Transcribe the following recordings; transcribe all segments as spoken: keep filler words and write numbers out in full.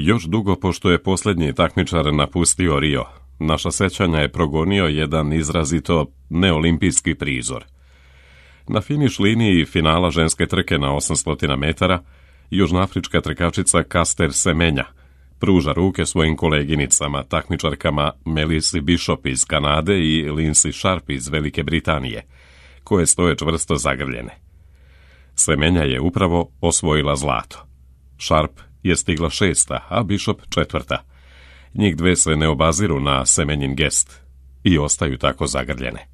Još dugo pošto je posljednji takmičar napustio Rio, naša sećanja je progonio jedan izrazito neolimpijski prizor. Na finiš liniji finala ženske trke na osamsto metara, južnoafrička trkačica Caster Semenya pruža ruke svojim koleginicama, takmičarkama Melissa Bishop iz Kanade i Lindsay Sharp iz Velike Britanije, koje stoje čvrsto zagrljene. Semenya je upravo osvojila zlato. Sharp je stigla šesta, a Bishop četvrta. Njih dve se ne obaziru na Semenjin gest i ostaju tako zagrljene.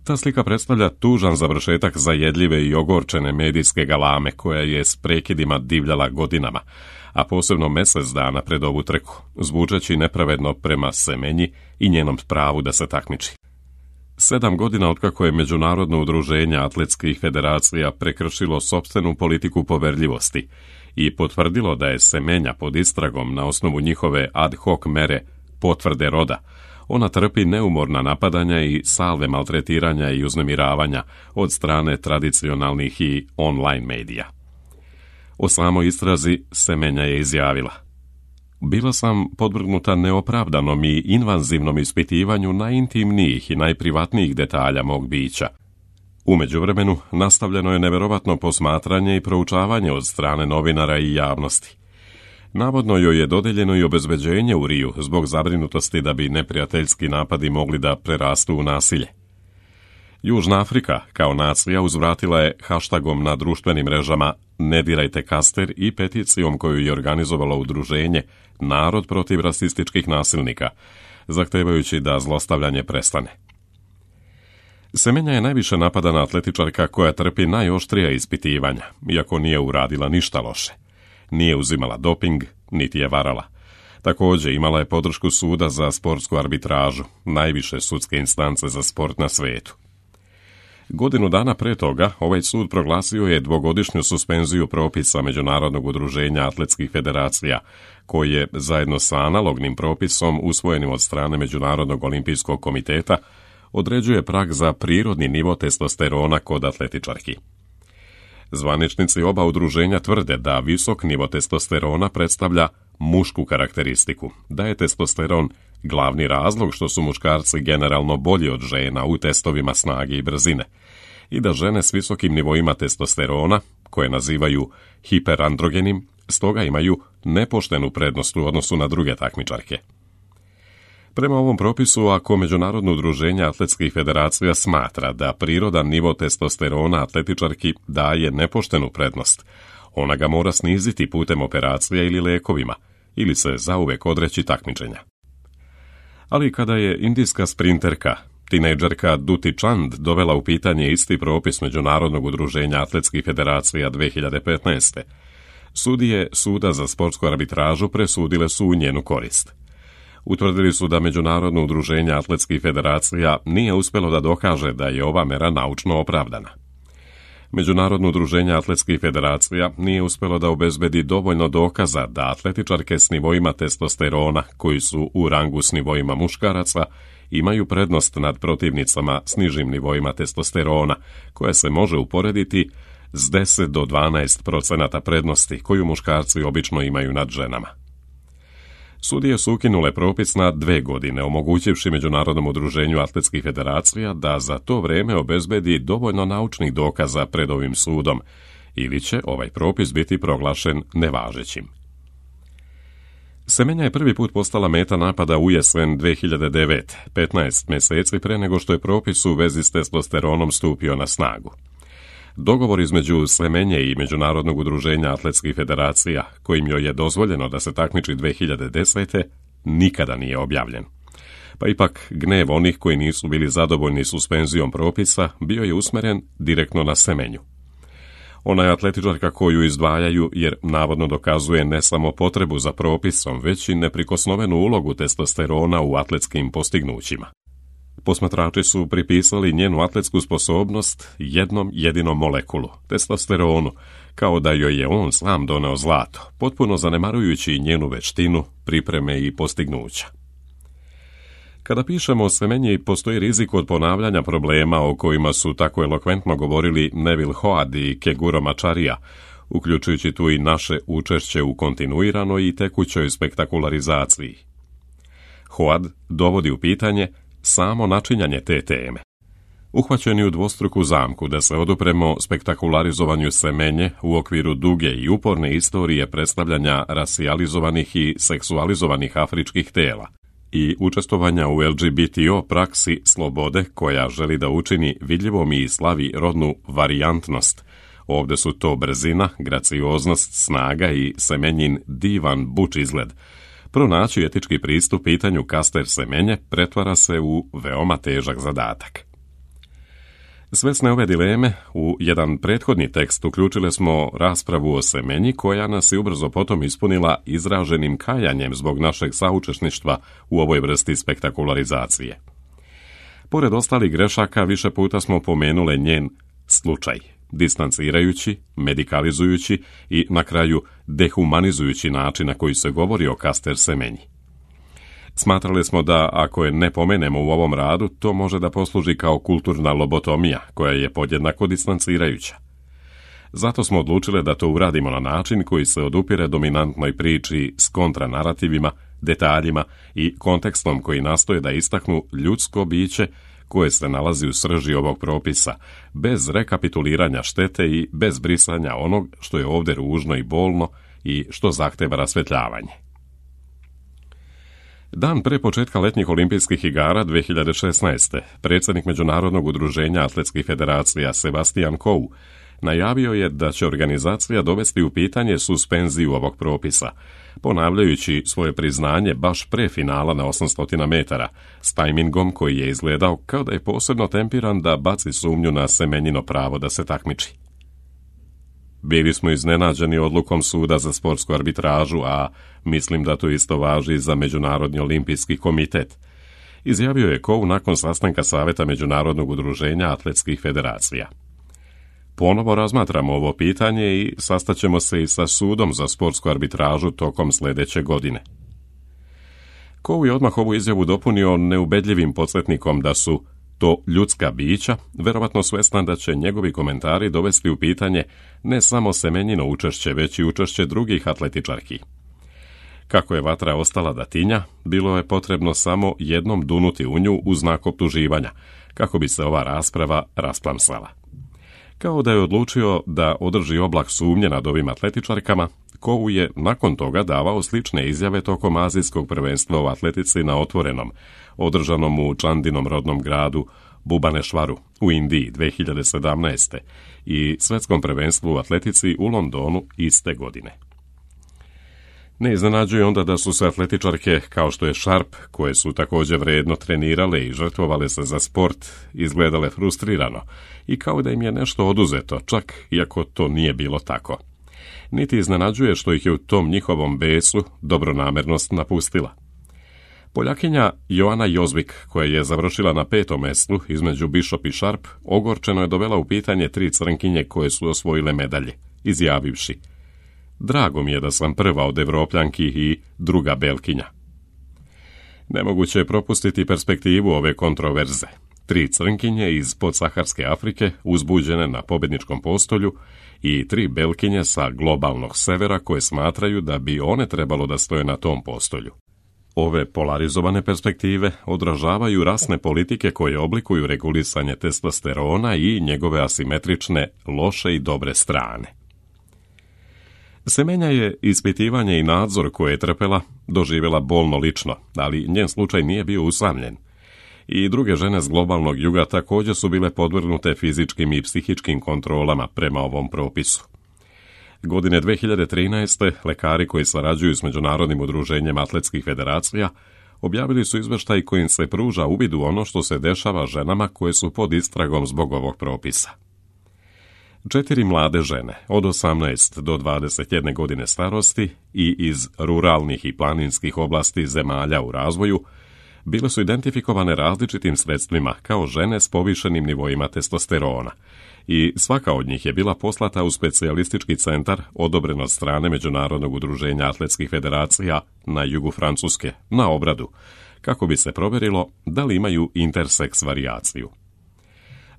Ta slika predstavlja tužan završetak zajedljive i ogorčene medijske galame koja je s prekidima divljala godinama, a posebno mjesec dana pred ovu trku, zvučeći nepravedno prema Semenji i njenom pravu da se takmiči. Sedam godina otkako je Međunarodno udruženje atletskih federacija prekršilo sopstvenu politiku poverljivosti i potvrdilo da je Semenya pod istragom na osnovu njihove ad hoc mere potvrde roda, ona trpi neumorna napadanja i salve maltretiranja i uznemiravanja od strane tradicionalnih i online medija. O samoj istrazi Semenya je izjavila: bila sam podvrgnuta neopravdanom i invazivnom ispitivanju najintimnijih i najprivatnijih detalja mog bića. U međuvremenu nastavljeno je neverovatno posmatranje i proučavanje od strane novinara i javnosti. Navodno joj je dodeljeno i obezbeđenje u Riju zbog zabrinutosti da bi neprijateljski napadi mogli da prerastu u nasilje. Južna Afrika kao nacija uzvratila je hashtagom na društvenim mrežama Ne dirajte Caster i peticijom koju je organizovalo udruženje Narod protiv rasističkih nasilnika, zahtevajući da zlostavljanje prestane. Semenya je najviše napadana atletičarka koja trpi najoštrija ispitivanja, iako nije uradila ništa loše. Nije uzimala doping, niti je varala. Također imala je podršku suda za sportsku arbitražu, najviše sudske instance za sport na svetu. Godinu dana pre toga ovaj sud proglasio je dvogodišnju suspenziju propisa Međunarodnog udruženja atletskih federacija, koji je zajedno sa analognim propisom usvojenim od strane Međunarodnog olimpijskog komiteta određuje prag za prirodni nivo testosterona kod atletičarki. Zvaničnici oba udruženja tvrde da visok nivo testosterona predstavlja mušku karakteristiku, da je testosteron glavni razlog što su muškarci generalno bolji od žena u testovima snage i brzine i da žene s visokim nivoima testosterona, koje nazivaju hiperandrogenim, stoga imaju nepoštenu prednost u odnosu na druge takmičarke. Prema ovom propisu, ako Međunarodno udruženje atletskih federacija smatra da prirodan nivo testosterona atletičarki daje nepoštenu prednost, ona ga mora sniziti putem operacija ili lekovima, ili se zauvek odreći takmičenja. Ali kada je indijska sprinterka, tinejdžerka Duti Chand dovela u pitanje isti propis Međunarodnog udruženja atletskih federacija dve hiljade petnaeste. Sudije Suda za sportsku arbitražu presudile su u njenu korist. Utvrdili su da Međunarodno udruženje atletskih federacija nije uspjelo da dokaže da je ova mera naučno opravdana. Međunarodno udruženje atletskih federacija nije uspjelo da obezbedi dovoljno dokaza da atletičarke s nivoima testosterona, koji su u rangu s nivoima muškaraca, imaju prednost nad protivnicama s nižim nivoima testosterona, koja se može uporediti s deset do dvanaest procenata prednosti koju muškarci obično imaju nad ženama. Sudije su ukinule propis na dve godine, omogućivši Međunarodnom udruženju atletskih federacija da za to vrijeme obezbedi dovoljno naučnih dokaza pred ovim sudom, ili će ovaj propis biti proglašen nevažećim. Semenya je prvi put postala meta napada u jesen dve hiljade devete, petnaest mjeseci pre nego što je propis u vezi s testosteronom stupio na snagu. Dogovor između Semenje i Međunarodnog udruženja atletskih federacija, kojim joj je dozvoljeno da se takmiči dve hiljade desete, nikada nije objavljen. Pa ipak gnev onih koji nisu bili zadovoljni suspenzijom propisa bio je usmeren direktno na Semenju. Ona je atletičarka koju izdvajaju jer navodno dokazuje ne samo potrebu za propisom, već i neprikosnovenu ulogu testosterona u atletskim postignućima. Posmatrači su pripisali njenu atletsku sposobnost jednom jedinom molekulu, testosteronu, kao da joj je on sam doneo zlato, potpuno zanemarujući njenu veštinu, pripreme i postignuća. Kada pišemo o Semenji, postoji rizik od ponavljanja problema o kojima su tako elokventno govorili Neville Hoad i Keguro Macharia uključujući tu i naše učešće u kontinuiranoj i tekućoj spektakularizaciji. Hoad dovodi u pitanje samo načinjanje te teme. Uhvaćeni u dvostruku zamku da se odupremo spektakularizovanju semenje u okviru duge i uporne istorije predstavljanja rasijalizovanih i seksualizovanih afričkih tela i učestvovanja u L G B T O praksi slobode koja želi da učini vidljivom i slavi rodnu varijantnost. Ovde su to brzina, gracioznost, snaga i semenjin divan buč izgled. Pronaći etički pristup pitanju kaster semenje pretvara se u veoma težak zadatak. Svesne ove dileme, u jedan prethodni tekst uključile smo raspravu o semenji koja nas je ubrzo potom ispunila izraženim kajanjem zbog našeg saučesništva u ovoj vrsti spektakularizacije. Pored ostalih grešaka, više puta smo pomenule njen slučaj, distancirajući, medikalizujući i na kraju dehumanizujući način na koji se govori o kaster semenji. Smatrali smo da ako je ne pomenemo u ovom radu, to može da posluži kao kulturna lobotomija, koja je podjednako distancirajuća. Zato smo odlučili da to uradimo na način koji se odupire dominantnoj priči s kontranarativima, detaljima i kontekstom koji nastoje da istaknu ljudsko biće koje se nalazi u srži ovog propisa, bez rekapituliranja štete i bez brisanja onog što je ovde ružno i bolno i što zahteva rasvetljavanje. Dan pre početka letnjih olimpijskih igara dve hiljade šesnaeste. predsjednik Međunarodnog udruženja atletskih federacija Sebastian Coe najavio je da će organizacija dovesti u pitanje suspenziju ovog propisa, ponavljajući svoje priznanje baš pre finala na osamsto metara, s tajmingom koji je izgledao kao da je posebno tempiran da baci sumnju na semenjino pravo da se takmiči. Bili smo iznenađeni odlukom suda za sportsku arbitražu, a mislim da to isto važi za Međunarodni olimpijski komitet, izjavio je Coe nakon sastanka Saveta Međunarodnog udruženja atletskih federacija. Ponovo razmatramo ovo pitanje i sastaćemo se i sa sudom za sportsku arbitražu tokom sljedeće godine. Coe je odmah ovu izjavu dopunio neubedljivim podsjetnikom da su to ljudska bića, verovatno svestan da će njegovi komentari dovesti u pitanje ne samo semenjino učešće, već i učešće drugih atletičarki. Kako je vatra ostala da tinja, bilo je potrebno samo jednom dunuti u nju u znak optuživanja, kako bi se ova rasprava rasplamsala. Kao da je odlučio da održi oblak sumnje nad ovim atletičarkama, Coe je nakon toga davao slične izjave tokom azijskog prvenstva u atletici na otvorenom, održanom u Čandinom rodnom gradu Bubanešvaru u Indiji dve hiljade sedamnaeste. i svetskom prvenstvu u atletici u Londonu iste godine. Ne iznenađuje onda da su se atletičarke, kao što je Sharp, koje su također vredno trenirale i žrtvovale se za sport, izgledale frustrirano i kao da im je nešto oduzeto, čak iako to nije bilo tako. Niti iznenađuje što ih je u tom njihovom besu dobronamernost napustila. Poljakinja Joana Jozvik, koja je završila na petom mestu između Bishop i Sharp, ogorčeno je dovela u pitanje tri crnkinje koje su osvojile medalje, izjavivši: "Drago mi je da sam prva od Evropljanki i druga Belkinja." Nemoguće je propustiti perspektivu ove kontroverze. Tri crnkinje iz podsaharske Afrike uzbuđene na pobjedničkom postolju i tri Belkinje sa globalnog severa koje smatraju da bi one trebalo da stoje na tom postolju. Ove polarizovane perspektive odražavaju rasne politike koje oblikuju regulisanje testosterona i njegove asimetrične, loše i dobre strane. Semenja je ispitivanje i nadzor koje je trpela doživjela bolno lično, ali njen slučaj nije bio usamljen. I druge žene s globalnog juga također su bile podvrgnute fizičkim i psihičkim kontrolama prema ovom propisu. Godine dve hiljade trinaeste. lekari koji sarađuju s Međunarodnim udruženjem atletskih federacija objavili su izveštaj kojim se pruža uvid u ono što se dešava ženama koje su pod istragom zbog ovog propisa. Četiri mlade žene od osamnaest do dvadeset jedne godine starosti i iz ruralnih i planinskih oblasti zemalja u razvoju bile su identifikovane različitim sredstvima kao žene s povišenim nivoima testosterona i svaka od njih je bila poslata u specijalistički centar odobren od strane Međunarodnog udruženja atletskih federacija na jugu Francuske na obradu, kako bi se provjerilo da li imaju interseks varijaciju.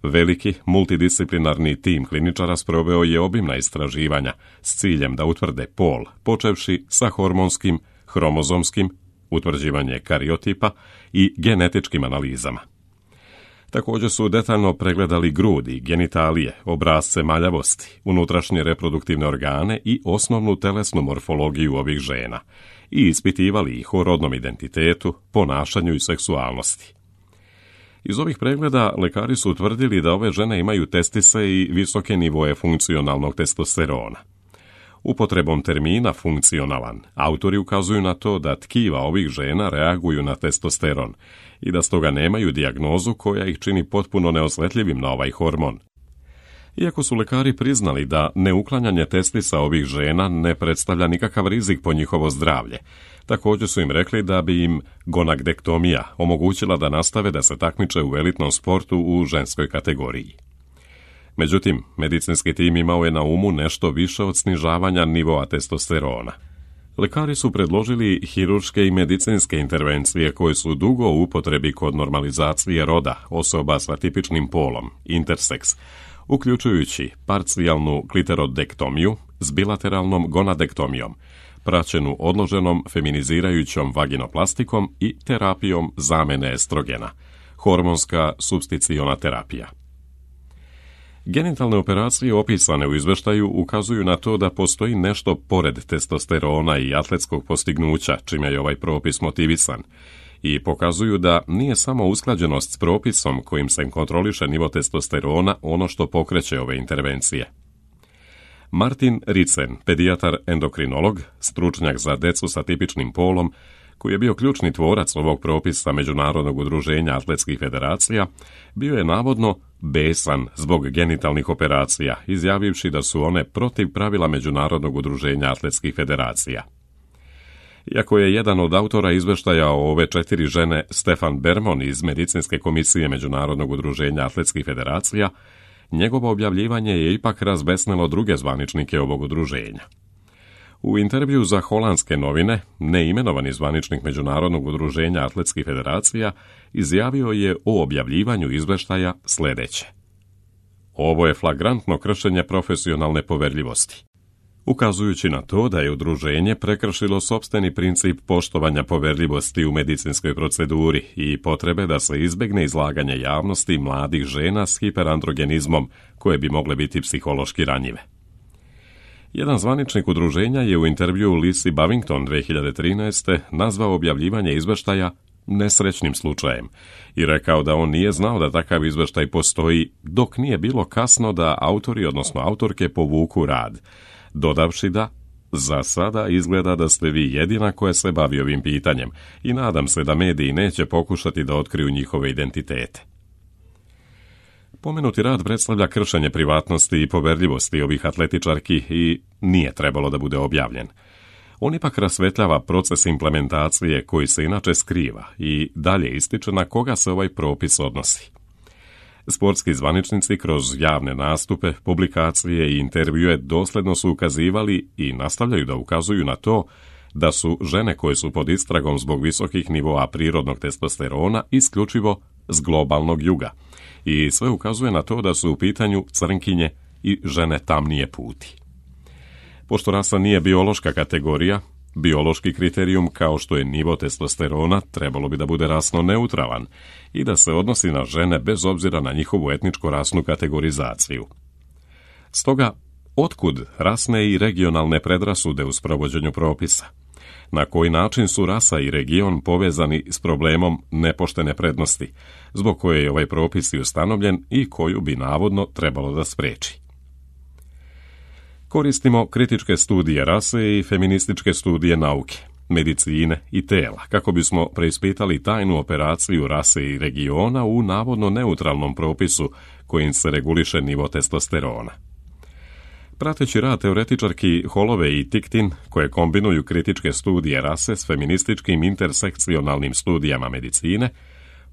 Veliki, multidisciplinarni tim kliničara sproveo je obimna istraživanja s ciljem da utvrde pol, počevši sa hormonskim, hromozomskim, utvrđivanje kariotipa i genetičkim analizama. Također su detaljno pregledali grudi, genitalije, obrasce maljavosti, unutrašnje reproduktivne organe i osnovnu telesnu morfologiju ovih žena i ispitivali ih o rodnom identitetu, ponašanju i seksualnosti. Iz ovih pregleda lekari su utvrdili da ove žene imaju testise i visoke nivoe funkcionalnog testosterona. Upotrebom termina funkcionalan, autori ukazuju na to da tkiva ovih žena reaguju na testosteron i da stoga nemaju dijagnozu koja ih čini potpuno neosjetljivim na ovaj hormon. Iako su lekari priznali da neuklanjanje testisa ovih žena ne predstavlja nikakav rizik po njihovo zdravlje, također su im rekli da bi im gonadektomija omogućila da nastave da se takmiče u elitnom sportu u ženskoj kategoriji. Međutim, medicinski tim imao je na umu nešto više od snižavanja nivoa testosterona. Lekari su predložili hirurške i medicinske intervencije koje su dugo u upotrebi kod normalizacije roda osoba sa tipičnim polom, interseks, uključujući parcijalnu kliterodektomiju s bilateralnom gonadektomijom, praćenu odloženom feminizirajućom vaginoplastikom i terapijom zamene estrogena, hormonska supsticiona terapija. Genitalne operacije opisane u izveštaju ukazuju na to da postoji nešto pored testosterona i atletskog postignuća, čime je ovaj propis motivisan, i pokazuju da nije samo usklađenost s propisom kojim se kontroliše nivo testosterona ono što pokreće ove intervencije. Martin Ricen, pedijatar endokrinolog, stručnjak za decu sa tipičnim polom, koji je bio ključni tvorac ovog propisa Međunarodnog udruženja atletskih federacija, bio je navodno besan zbog genitalnih operacija, izjavivši da su one protiv pravila Međunarodnog udruženja atletskih federacija. Iako je jedan od autora izveštaja o ove četiri žene Stefan Bermon iz Medicinske komisije Međunarodnog udruženja atletskih federacija, njegovo objavljivanje je ipak razbesnelo druge zvaničnike ovog udruženja. U intervju za holandske novine, neimenovani zvaničnik Međunarodnog udruženja atletskih federacija izjavio je o objavljivanju izveštaja sljedeće: ovo je flagrantno kršenje profesionalne poverljivosti, ukazujući na to da je udruženje prekršilo sopstveni princip poštovanja poverljivosti u medicinskoj proceduri i potrebe da se izbjegne izlaganje javnosti mladih žena s hiperandrogenizmom koje bi mogle biti psihološki ranjive. Jedan zvaničnik udruženja je u intervju Lisi Bavington dvije hiljade trinaeste. nazvao objavljivanje izveštaja nesrećnim slučajem i rekao da on nije znao da takav izveštaj postoji dok nije bilo kasno da autori, odnosno autorke, povuku rad, dodavši da za sada izgleda da ste vi jedina koja se bavi ovim pitanjem i nadam se da mediji neće pokušati da otkriju njihove identitete. Pomenuti rad predstavlja kršenje privatnosti i poverljivosti ovih atletičarki i nije trebalo da bude objavljen. On ipak rasvetljava proces implementacije koji se inače skriva i dalje ističe na koga se ovaj propis odnosi. Sportski zvaničnici kroz javne nastupe, publikacije i intervjue dosljedno su ukazivali i nastavljaju da ukazuju na to da su žene koje su pod istragom zbog visokih nivoa prirodnog testosterona isključivo s globalnog juga i sve ukazuje na to da su u pitanju crnkinje i žene tamnije puti. Pošto rasa nije biološka kategorija, biološki kriterijum kao što je nivo testosterona trebalo bi da bude rasno neutralan i da se odnosi na žene bez obzira na njihovu etničko-rasnu kategorizaciju. Stoga, otkud rasne i regionalne predrasude u sprovođenju propisa? Na koji način su rasa i region povezani s problemom nepoštene prednosti, zbog koje je ovaj propis i ustanovljen i koju bi navodno trebalo da spreči? Koristimo kritičke studije rase i feminističke studije nauke, medicine i tela, kako bismo preispitali tajnu operaciju rase i regiona u navodno neutralnom propisu kojim se reguliše nivo testosterona. Prateći rad teoretičarki Holloway i Ticktin, koje kombinuju kritičke studije rase s feminističkim intersekcionalnim studijama medicine,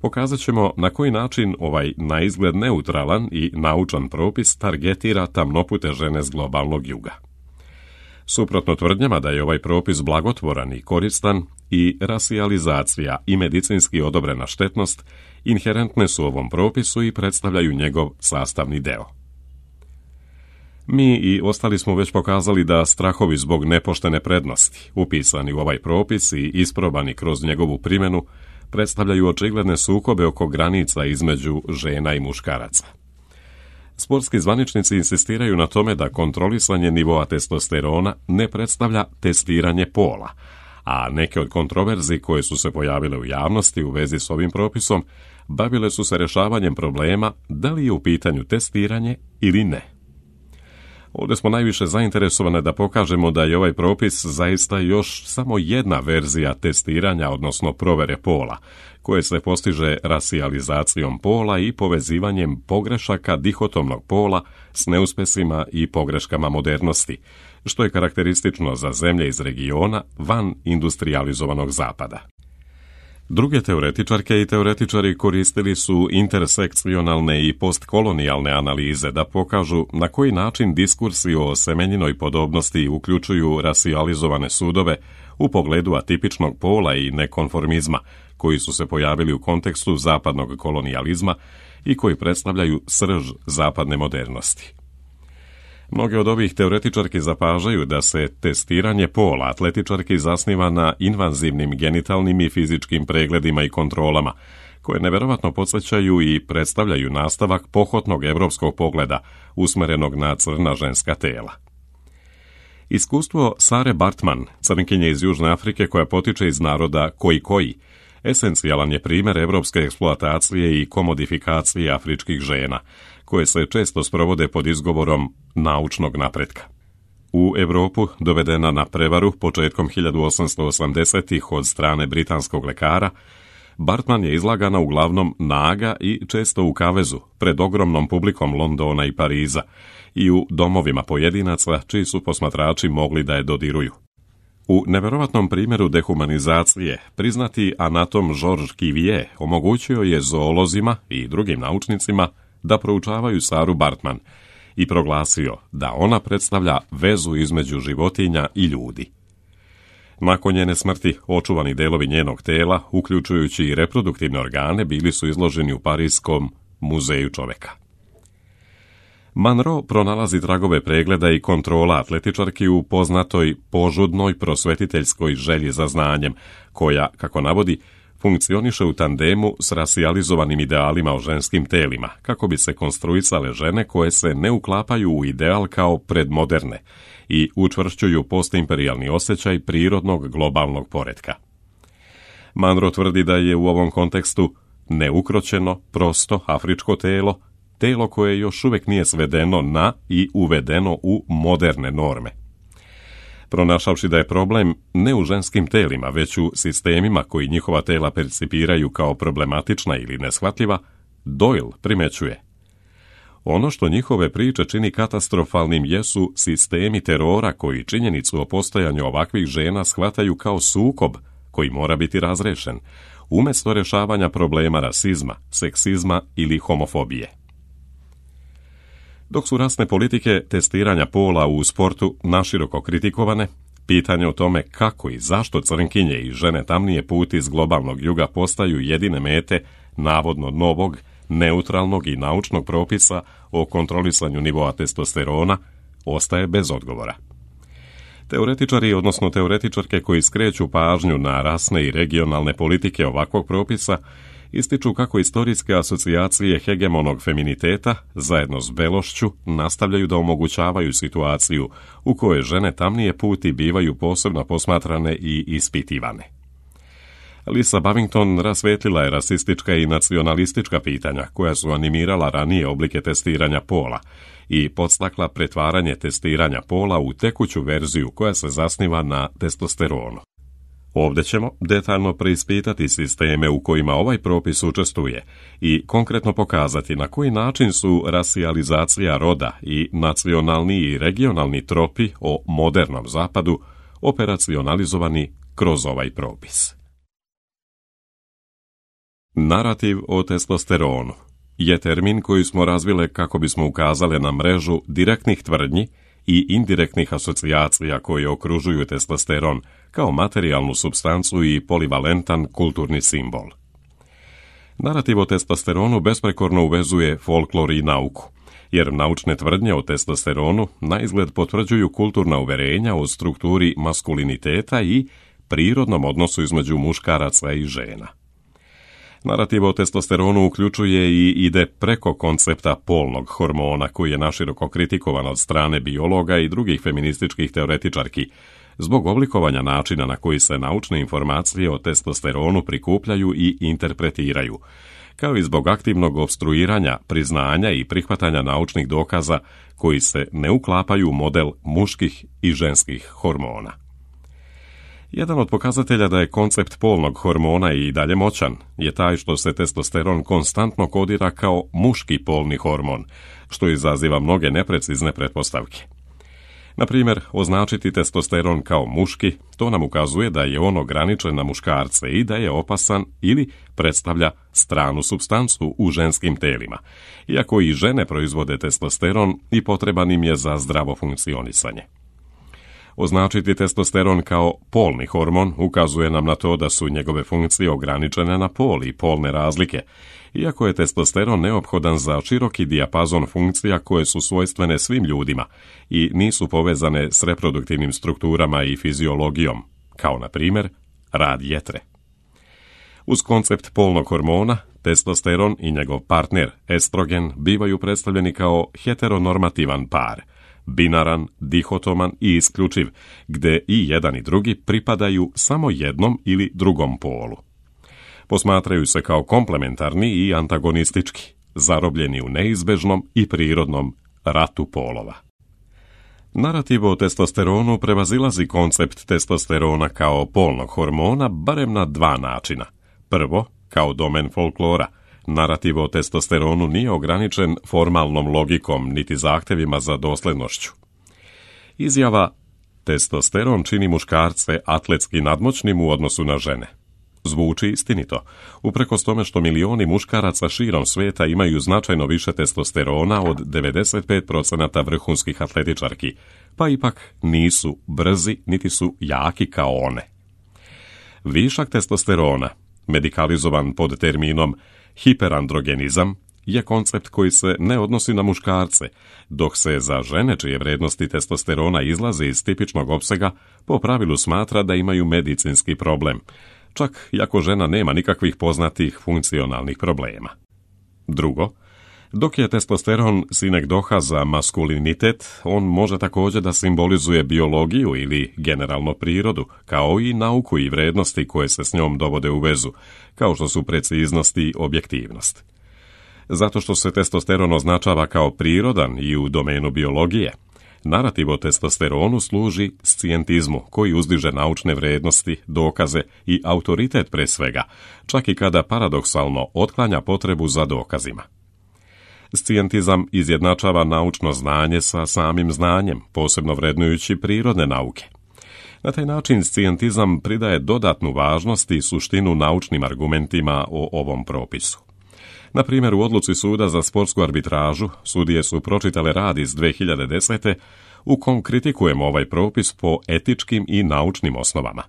pokazat ćemo na koji način ovaj na izgled neutralan i naučan propis targetira tamnopute žene s globalnog juga. Suprotno tvrdnjama da je ovaj propis blagotvoran i koristan, i rasijalizacija i medicinski odobrena štetnost inherentne su ovom propisu i predstavljaju njegov sastavni deo. Mi i ostali smo već pokazali da strahovi zbog nepoštene prednosti, upisani u ovaj propis i isprobani kroz njegovu primjenu, predstavljaju očigledne sukobe oko granica između žena i muškaraca. Sportski zvaničnici insistiraju na tome da kontrolisanje nivoa testosterona ne predstavlja testiranje pola, a neke od kontroverzi koje su se pojavile u javnosti u vezi s ovim propisom bavile su se rješavanjem problema da li je u pitanju testiranje ili ne. Ovdje smo najviše zainteresovane da pokažemo da je ovaj propis zaista još samo jedna verzija testiranja, odnosno provere pola, koje se postiže rasijalizacijom pola i povezivanjem pogrešaka dihotomnog pola s neuspesima i pogreškama modernosti, što je karakteristično za zemlje iz regiona van industrializovanog zapada. Druge teoretičarke i teoretičari koristili su intersekcionalne i postkolonijalne analize da pokažu na koji način diskursi o semenjinoj podobnosti uključuju rasijalizovane sudove u pogledu atipičnog pola i nekonformizma, koji su se pojavili u kontekstu zapadnog kolonijalizma i koji predstavljaju srž zapadne modernosti. Mnoge od ovih teoretičarki zapažaju da se testiranje pola atletičarki zasniva na invazivnim genitalnim i fizičkim pregledima i kontrolama, koje neverovatno podsjećaju i predstavljaju nastavak pohotnog evropskog pogleda usmerenog na crna ženska tela. Iskustvo Sare Bartman, crnkinje iz Južne Afrike koja potiče iz naroda Koji-Koji, esencijalan je primjer evropske eksploatacije i komodifikacije afričkih žena, koje se često sprovode pod izgovorom naučnog napretka. U Europu dovedena na prevaru početkom hiljadu osamsto osamdesetih od strane britanskog lekara, Bartman je izlagana uglavnom naga i često u kavezu pred ogromnom publikom Londona i Pariza i u domovima pojedinaca čiji su posmatrači mogli da je dodiruju. U neverovatnom primjeru dehumanizacije priznati anatom Georges Cuvier omogućio je zoolozima i drugim naučnicima da proučavaju Saru Bartman i proglasio da ona predstavlja vezu između životinja i ljudi. Nakon njene smrti, očuvani delovi njenog tela, uključujući i reproduktivne organe, bili su izloženi u Parijskom muzeju čoveka. Monroe pronalazi tragove pregleda i kontrola atletičarki u poznatoj požudnoj prosvetiteljskoj želji za znanjem, koja, kako navodi, funkcioniše u tandemu s rasijalizovanim idealima o ženskim telima, kako bi se konstruisale žene koje se ne uklapaju u ideal kao predmoderne i učvršćuju postimperijalni osjećaj prirodnog globalnog poretka. Monroe tvrdi da je u ovom kontekstu neukroćeno, prosto afričko telo, telo koje još uvijek nije svedeno na i uvedeno u moderne norme. Pronašavši da je problem ne u ženskim telima, već u sistemima koji njihova tela percipiraju kao problematična ili neshvatljiva, Doyle primećuje: ono što njihove priče čini katastrofalnim jesu sistemi terora koji činjenicu o postojanju ovakvih žena shvataju kao sukob koji mora biti razrešen, umjesto rješavanja problema rasizma, seksizma ili homofobije. Dok su rasne politike testiranja pola u sportu naširoko kritikovane, pitanje o tome kako i zašto crnkinje i žene tamnije puti iz globalnog juga postaju jedine mete navodno novog, neutralnog i naučnog propisa o kontrolisanju nivoa testosterona, ostaje bez odgovora. Teoretičari, odnosno teoretičarke koji skreću pažnju na rasne i regionalne politike ovakvog propisa, ističu kako istorijske asocijacije hegemonog feminiteta, zajedno s belošću, nastavljaju da omogućavaju situaciju u kojoj žene tamnije puti bivaju posebno posmatrane i ispitivane. Lisa Bavington rasvetlila je rasistička i nacionalistička pitanja koja su animirala ranije oblike testiranja pola i podstakla pretvaranje testiranja pola u tekuću verziju koja se zasniva na testosteronu. Ovdje ćemo detaljno preispitati sisteme u kojima ovaj propis učestvuje i konkretno pokazati na koji način su rasijalizacija roda i nacionalni i regionalni tropi o modernom zapadu operacionalizovani kroz ovaj propis. Narativ o testosteronu je termin koji smo razvile kako bismo ukazali na mrežu direktnih tvrdnji i indirektnih asocijacija koje okružuju testosteron kao materijalnu supstancu i polivalentan kulturni simbol. Narativ o testosteronu besprekorno uvezuje folklor i nauku, jer naučne tvrdnje o testosteronu naizgled potvrđuju kulturna uverenja o strukturi maskuliniteta i prirodnom odnosu između muškaraca i žena. Narativ o testosteronu uključuje i ide preko koncepta polnog hormona koji je naširoko kritikovan od strane biologa i drugih feminističkih teoretičarki zbog oblikovanja načina na koji se naučne informacije o testosteronu prikupljaju i interpretiraju, kao i zbog aktivnog opstruiranja, priznanja i prihvatanja naučnih dokaza koji se ne uklapaju u model muških i ženskih hormona. Jedan od pokazatelja da je koncept polnog hormona i dalje moćan je taj što se testosteron konstantno kodira kao muški polni hormon, što izaziva mnoge neprecizne pretpostavke. Na primjer, označiti testosteron kao muški, to nam ukazuje da je on ograničen na muškarce i da je opasan ili predstavlja stranu supstancu u ženskim telima, iako i žene proizvode testosteron i potreban im je za zdravo funkcionisanje. Označiti testosteron kao polni hormon ukazuje nam na to da su njegove funkcije ograničene na pol i polne razlike, iako je testosteron neophodan za široki dijapazon funkcija koje su svojstvene svim ljudima i nisu povezane s reproduktivnim strukturama i fiziologijom, kao na primjer rad jetre. Uz koncept polnog hormona, testosteron i njegov partner estrogen bivaju predstavljeni kao heteronormativan par, binaran, dihotoman i isključiv, gde i jedan i drugi pripadaju samo jednom ili drugom polu. Posmatraju se kao komplementarni i antagonistički, zarobljeni u neizbežnom i prirodnom ratu polova. Narativ o testosteronu prevazilazi koncept testosterona kao polnog hormona barem na dva načina. Prvo, kao domen folklora. Narativ o testosteronu nije ograničen formalnom logikom niti zahtevima za doslednošću. Izjava testosteron čini muškarce atletski nadmoćnim u odnosu na žene zvuči istinito, uprkos tome što milioni muškaraca širom svijeta imaju značajno više testosterona od devedeset pet posto vrhunskih atletičarki, pa ipak nisu brzi niti su jaki kao one. Višak testosterona, medikalizovan pod terminom hiperandrogenizam, je koncept koji se ne odnosi na muškarce, dok se za žene čije vrednosti testosterona izlaze iz tipičnog opsega po pravilu smatra da imaju medicinski problem, čak i ako žena nema nikakvih poznatih funkcionalnih problema. Drugo, dok je testosteron sinekdoha za maskulinitet, on može također da simbolizuje biologiju ili generalno prirodu, kao i nauku i vrednosti koje se s njom dovode u vezu, kao što su preciznost i objektivnost. Zato što se testosteron označava kao prirodan i u domenu biologije, narativ o testosteronu služi scijentizmu koji uzdiže naučne vrednosti, dokaze i autoritet pre svega, čak i kada paradoksalno otklanja potrebu za dokazima. Scijentizam izjednačava naučno znanje sa samim znanjem, posebno vrednujući prirodne nauke. Na taj način scijentizam pridaje dodatnu važnost i suštinu naučnim argumentima o ovom propisu. Na primjer, u odluci suda za sportsku arbitražu sudije su pročitale rad iz dve hiljade desete u kom kritikujemo ovaj propis po etičkim i naučnim osnovama.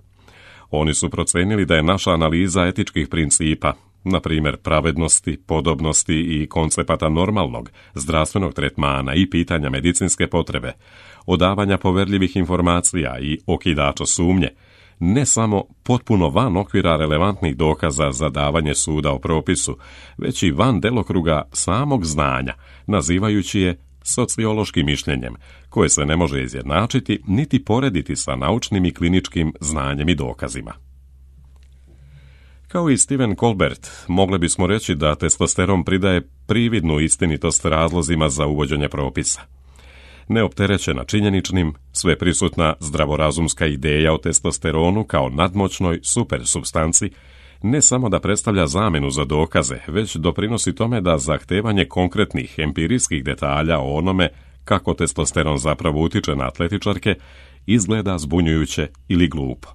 Oni su procenili da je naša analiza etičkih principa, na primjer pravednosti, podobnosti i koncepata normalnog, zdravstvenog tretmana i pitanja medicinske potrebe, odavanja poverljivih informacija i okidača sumnje, ne samo potpuno van okvira relevantnih dokaza za davanje suda o propisu, već i van delokruga samog znanja, nazivajući je sociološkim mišljenjem, koje se ne može izjednačiti niti porediti sa naučnim i kliničkim znanjem i dokazima. Kao i Stephen Colbert, mogli bismo reći da testosteron pridaje prividnu istinitost razlozima za uvođenje propisa. Neopterećena činjeničnim, sveprisutna zdravorazumska ideja o testosteronu kao nadmoćnoj supersupstanci ne samo da predstavlja zamenu za dokaze, već doprinosi tome da zahtevanje konkretnih empirijskih detalja o onome kako testosteron zapravo utiče na atletičarke izgleda zbunjujuće ili glupo.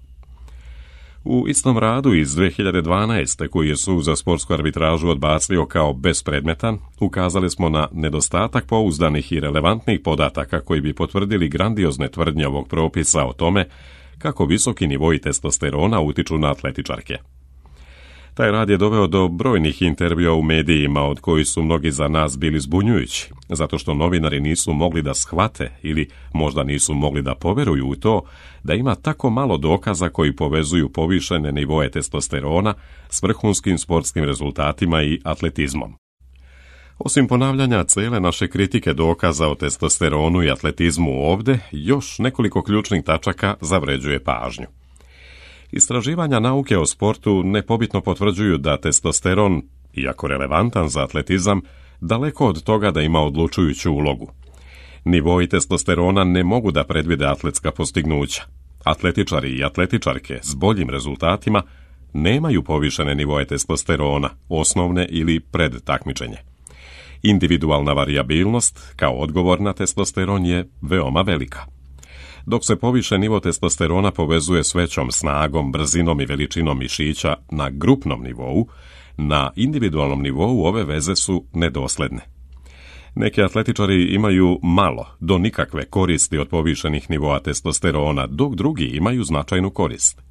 U istom radu iz dvije hiljade dvanaeste. koji je Sud za sportsku arbitražu odbacio kao bespredmetan, ukazali smo na nedostatak pouzdanih i relevantnih podataka koji bi potvrdili grandiozne tvrdnje ovog propisa o tome kako visoki nivoi testosterona utiču na atletičarke. Taj rad je doveo do brojnih intervjua u medijima, od kojih su mnogi za nas bili zbunjujući, zato što novinari nisu mogli da shvate ili možda nisu mogli da poveruju u to da ima tako malo dokaza koji povezuju povišene nivoe testosterona s vrhunskim sportskim rezultatima i atletizmom. Osim ponavljanja cele naše kritike dokaza o testosteronu i atletizmu ovde, još nekoliko ključnih tačaka zavređuje pažnju. Istraživanja nauke o sportu nepobitno potvrđuju da testosteron, iako relevantan za atletizam, daleko od toga da ima odlučujuću ulogu. Nivoi testosterona ne mogu da predvide atletska postignuća. Atletičari i atletičarke s boljim rezultatima nemaju povišene nivoe testosterona, osnovne ili pred takmičenje. Individualna varijabilnost, kao odgovor na testosteron, je veoma velika. Dok se poviše nivo testosterona povezuje s većom snagom, brzinom i veličinom mišića na grupnom nivou, na individualnom nivou ove veze su nedosledne. Neki atletičari imaju malo do nikakve koristi od povišenih nivoa testosterona, dok drugi imaju značajnu korist.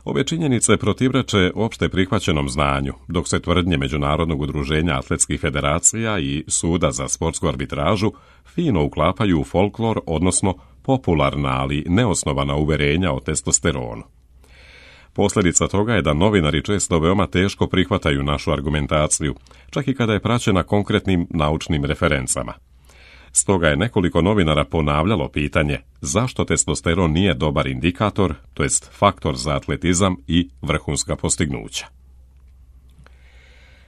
Ove činjenice protivreče opšte prihvaćenom znanju, dok se tvrdnje Međunarodnog udruženja atletskih federacija i Suda za sportsku arbitražu fino uklapaju u folklor, odnosno popularna, ali neosnovana uverenja o testosteronu. Posljedica toga je da novinari često veoma teško prihvataju našu argumentaciju, čak i kada je praćena konkretnim naučnim referencama. Stoga je nekoliko novinara ponavljalo pitanje zašto testosteron nije dobar indikator, to jest faktor za atletizam i vrhunska postignuća.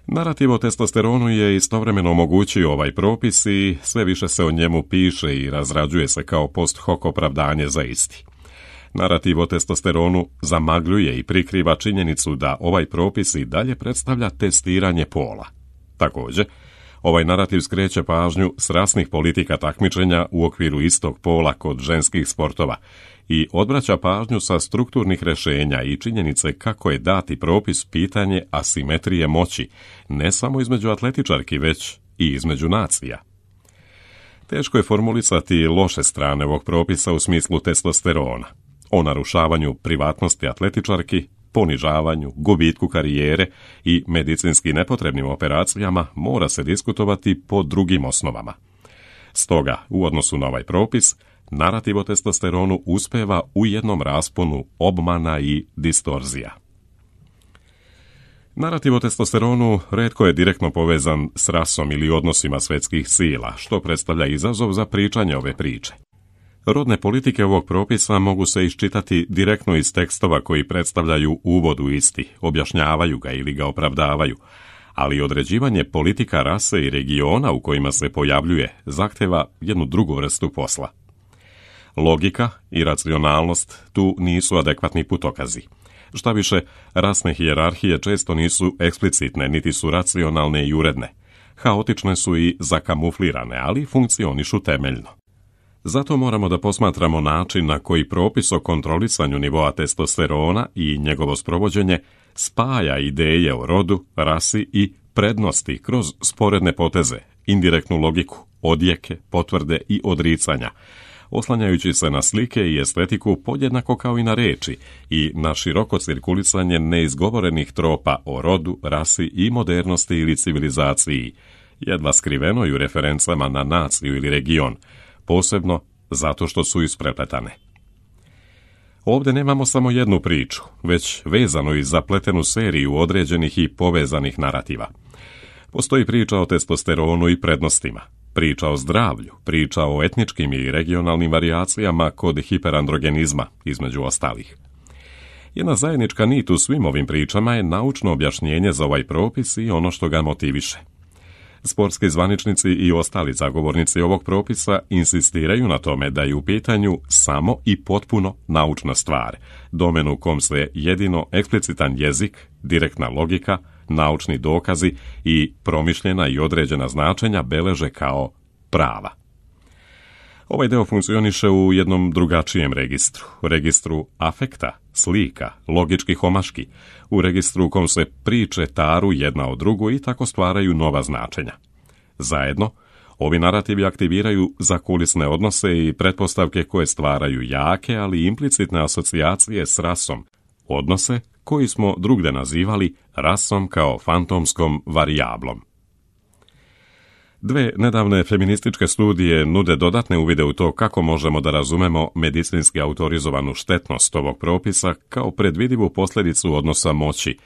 Narativ o testosteronu je istovremeno omogućio ovaj propis i sve više se o njemu piše i razrađuje se kao post hoc opravdanje za isti. Narativ o testosteronu zamagljuje i prikriva činjenicu da ovaj propis i dalje predstavlja testiranje pola. Također, ovaj narativ skreće pažnju s rasnih politika takmičenja u okviru istog pola kod ženskih sportova i odvraća pažnju sa strukturnih rešenja i činjenice kako je dati propis pitanje asimetrije moći, ne samo između atletičarki, već i između nacija. Teško je formulisati loše strane ovog propisa u smislu testosterona, o narušavanju privatnosti atletičarki, ponižavanju, gubitku karijere i medicinski nepotrebnim operacijama mora se diskutovati po drugim osnovama. Stoga, u odnosu na ovaj propis, narativ o testosteronu uspeva u jednom rasponu obmana i distorzija. Narativ o testosteronu retko je direktno povezan s rasom ili odnosima svetskih sila, što predstavlja izazov za pričanje ove priče. Rodne politike ovog propisa mogu se iščitati direktno iz tekstova koji predstavljaju uvod u isti, objašnjavaju ga ili ga opravdavaju, ali određivanje politika rase i regiona u kojima se pojavljuje zahteva jednu drugu vrstu posla. Logika i racionalnost tu nisu adekvatni putokazi. Šta više, rasne hijerarhije često nisu eksplicitne, niti su racionalne i uredne. Haotične su i zakamuflirane, ali funkcionišu temeljno. Zato moramo da posmatramo način na koji propis o kontrolisanju nivoa testosterona i njegovo sprovođenje spaja ideje o rodu, rasi i prednosti kroz sporedne poteze, indirektnu logiku, odjeke, potvrde i odricanja, oslanjajući se na slike i estetiku podjednako kao i na reči i na široko cirkulisanje neizgovorenih tropa o rodu, rasi i modernosti ili civilizaciji, jedva skrivenoj u referencama na naciju ili region, posebno zato što su isprepletane. Ovdje nemamo samo jednu priču, već vezanu i zapletenu seriju određenih i povezanih narativa. Postoji priča o testosteronu i prednostima, priča o zdravlju, priča o etničkim i regionalnim varijacijama kod hiperandrogenizma, između ostalih. Jedna zajednička nit u svim ovim pričama je naučno objašnjenje za ovaj propis i ono što ga motiviše. Sportski zvaničnici i ostali zagovornici ovog propisa insistiraju na tome da je u pitanju samo i potpuno naučna stvar, domen u kom se jedino eksplicitan jezik, direktna logika, naučni dokazi i promišljena i određena značenja beleže kao prava. Ovaj deo funkcioniše u jednom drugačijem registru, registru afekta, slika, logičkih omaški, u registru u kom se priče taru jedna o drugu i tako stvaraju nova značenja. Zajedno, ovi narativi aktiviraju zakulisne odnose i pretpostavke koje stvaraju jake, ali implicitne asocijacije s rasom, odnose koji smo drugde nazivali rasom kao fantomskom varijablom. Dve nedavne feminističke studije nude dodatne uvide u to kako možemo da razumemo medicinski autorizovanu štetnost ovog propisa kao predvidivu posljedicu odnosa moći,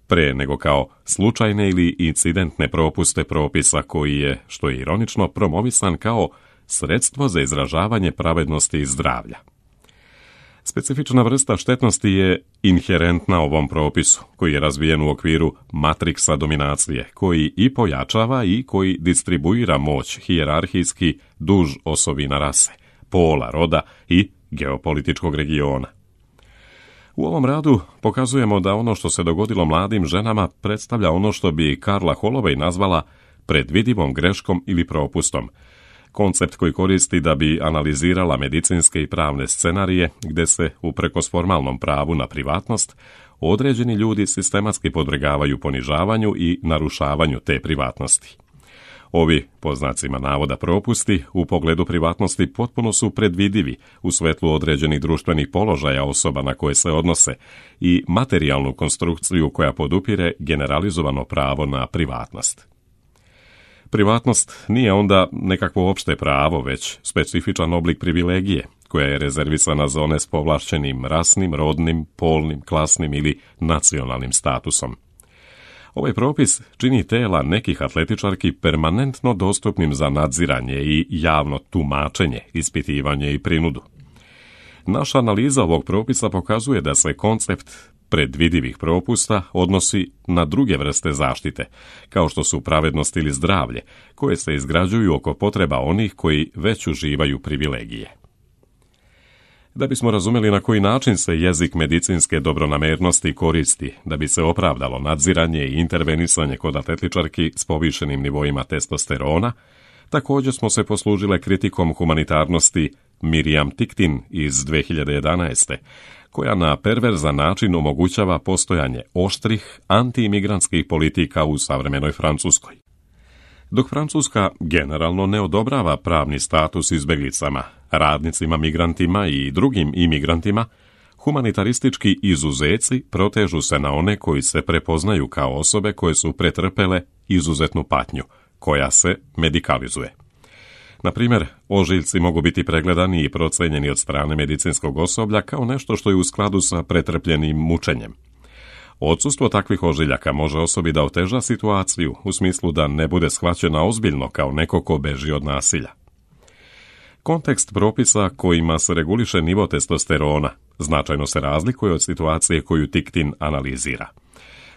pre nego kao slučajne ili incidentne propuste propisa koji je, što je ironično, promovisan kao sredstvo za izražavanje pravednosti i zdravlja. Specifična vrsta štetnosti je inherentna ovom propisu, koji je razvijen u okviru matriksa dominacije, koji i pojačava i koji distribuira moć hijerarhijski duž osovina rase, pola, roda i geopolitičkog regiona. U ovom radu pokazujemo da ono što se dogodilo mladim ženama predstavlja ono što bi Karla Holloway nazvala predvidivom greškom ili propustom, koncept koji koristi da bi analizirala medicinske i pravne scenarije gde se, uprkos formalnom pravu na privatnost, određeni ljudi sistematski podvrgavaju ponižavanju i narušavanju te privatnosti. Ovi, po znacima navoda, propusti u pogledu privatnosti potpuno su predvidivi u svetlu određenih društvenih položaja osoba na koje se odnose i materijalnu konstrukciju koja podupire generalizovano pravo na privatnost. Privatnost nije onda nekakvo opšte pravo, već specifičan oblik privilegije, koja je rezervisana za one s povlašćenim rasnim, rodnim, polnim, klasnim ili nacionalnim statusom. Ovaj propis čini tela nekih atletičarki permanentno dostupnim za nadziranje i javno tumačenje, ispitivanje i prinudu. Naša analiza ovog propisa pokazuje da se koncept predvidivih propusta odnosi na druge vrste zaštite, kao što su pravednost ili zdravlje, koje se izgrađuju oko potreba onih koji već uživaju privilegije. Da bismo razumeli na koji način se jezik medicinske dobronamernosti koristi da bi se opravdalo nadziranje i intervenisanje kod atletičarki s povišenim nivoima testosterona, također smo se poslužile kritikom humanitarnosti Miriam Tiktin iz dve hiljade jedanaeste, koja na perverzan način omogućava postojanje oštrih antiimigrantskih politika u savremenoj Francuskoj. Dok Francuska generalno ne odobrava pravni status izbeglicama, radnicima, migrantima i drugim imigrantima, humanitaristički izuzeci protežu se na one koji se prepoznaju kao osobe koje su pretrpele izuzetnu patnju, koja se medikalizuje. Na primjer, ožiljci mogu biti pregledani i procenjeni od strane medicinskog osoblja kao nešto što je u skladu sa pretrpljenim mučenjem. Odsustvo takvih ožiljaka može osobi da oteža situaciju u smislu da ne bude shvaćena ozbiljno kao neko ko beži od nasilja. Kontekst propisa kojima se reguliše nivo testosterona značajno se razlikuje od situacije koju Tiktin analizira.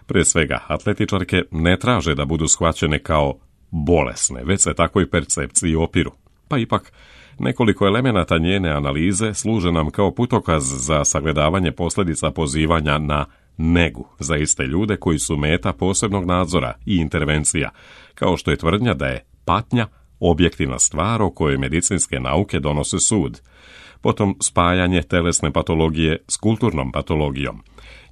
Pre svega, atletičarke ne traže da budu shvaćene kao bolesne, već se takvoj percepciji opiru. Pa ipak, nekoliko elemenata njene analize služe nam kao putokaz za sagledavanje posljedica pozivanja na negu za iste ljude koji su meta posebnog nadzora i intervencija, kao što je tvrdnja da je patnja objektivna stvar o kojoj medicinske nauke donose sud, potom spajanje telesne patologije s kulturnom patologijom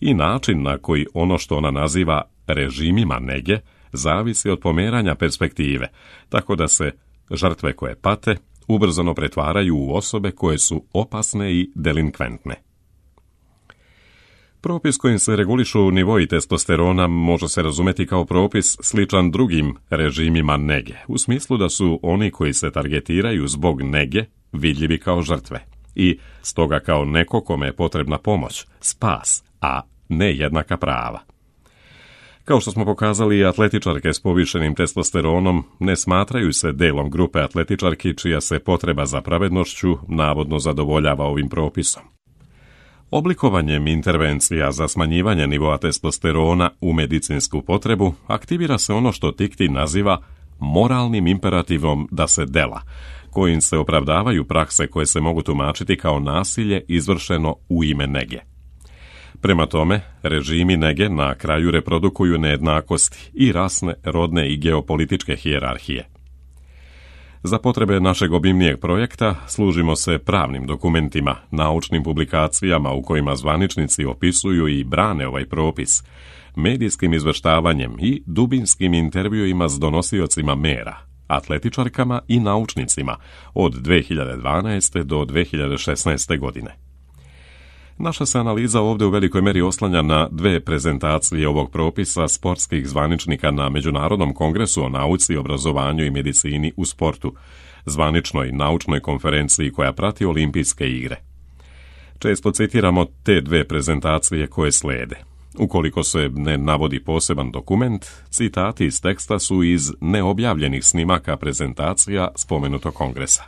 i način na koji ono što ona naziva režimima nege zavisi od pomeranja perspektive, tako da se žrtve koje pate ubrzano pretvaraju u osobe koje su opasne i delinkventne. Propis kojim se regulišu nivoi testosterona može se razumeti kao propis sličan drugim režimima nege, u smislu da su oni koji se targetiraju zbog nege vidljivi kao žrtve i stoga kao neko kome je potrebna pomoć, spas, a ne jednaka prava. Kao što smo pokazali, atletičarke s povišenim testosteronom ne smatraju se delom grupe atletičarki čija se potreba za pravednošću navodno zadovoljava ovim propisom. Oblikovanjem intervencija za smanjivanje nivoa testosterona u medicinsku potrebu aktivira se ono što Tiktin naziva moralnim imperativom da se dela, kojim se opravdavaju prakse koje se mogu tumačiti kao nasilje izvršeno u ime nege. Prema tome, režimi nege na kraju reprodukuju nejednakosti i rasne, rodne i geopolitičke hijerarhije. Za potrebe našeg obimnijeg projekta služimo se pravnim dokumentima, naučnim publikacijama u kojima zvaničnici opisuju i brane ovaj propis, medijskim izveštavanjem i dubinskim intervjuima s donosiocima mera, atletičarkama i naučnicima od dve hiljade dvanaeste. do dve hiljade šesnaeste. godine. Naša se analiza ovdje u velikoj meri oslanja na dve prezentacije ovog propisa sportskih zvaničnika na Međunarodnom kongresu o nauci, obrazovanju i medicini u sportu, zvaničnoj naučnoj konferenciji koja prati olimpijske igre. Često citiramo te dve prezentacije koje slede. Ukoliko se ne navodi poseban dokument, citati iz teksta su iz neobjavljenih snimaka prezentacija spomenutog kongresa.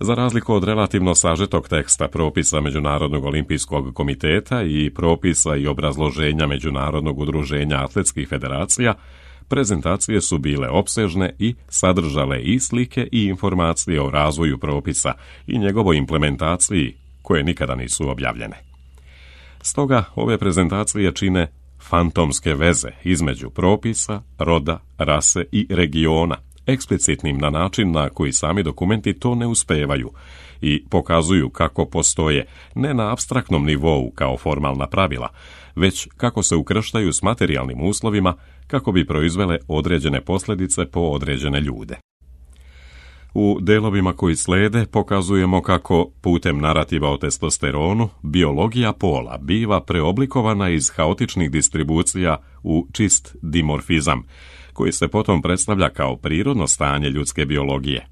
Za razliku od relativno sažetog teksta propisa Međunarodnog olimpijskog komiteta i propisa i obrazloženja Međunarodnog udruženja atletskih federacija, prezentacije su bile opsežne i sadržale i slike i informacije o razvoju propisa i njegovoj implementaciji, koje nikada nisu objavljene. Stoga ove prezentacije čine fantomske veze između propisa, roda, rase i regiona, eksplicitnim na način na koji sami dokumenti to ne uspevaju i pokazuju kako postoje ne na apstraktnom nivou kao formalna pravila, već kako se ukrštaju s materijalnim uslovima kako bi proizvele određene posljedice po određene ljude. U delovima koji slede pokazujemo kako putem narativa o testosteronu biologija pola biva preoblikovana iz haotičnih distribucija u čist dimorfizam, koji se potom predstavlja kao prirodno stanje ljudske biologije.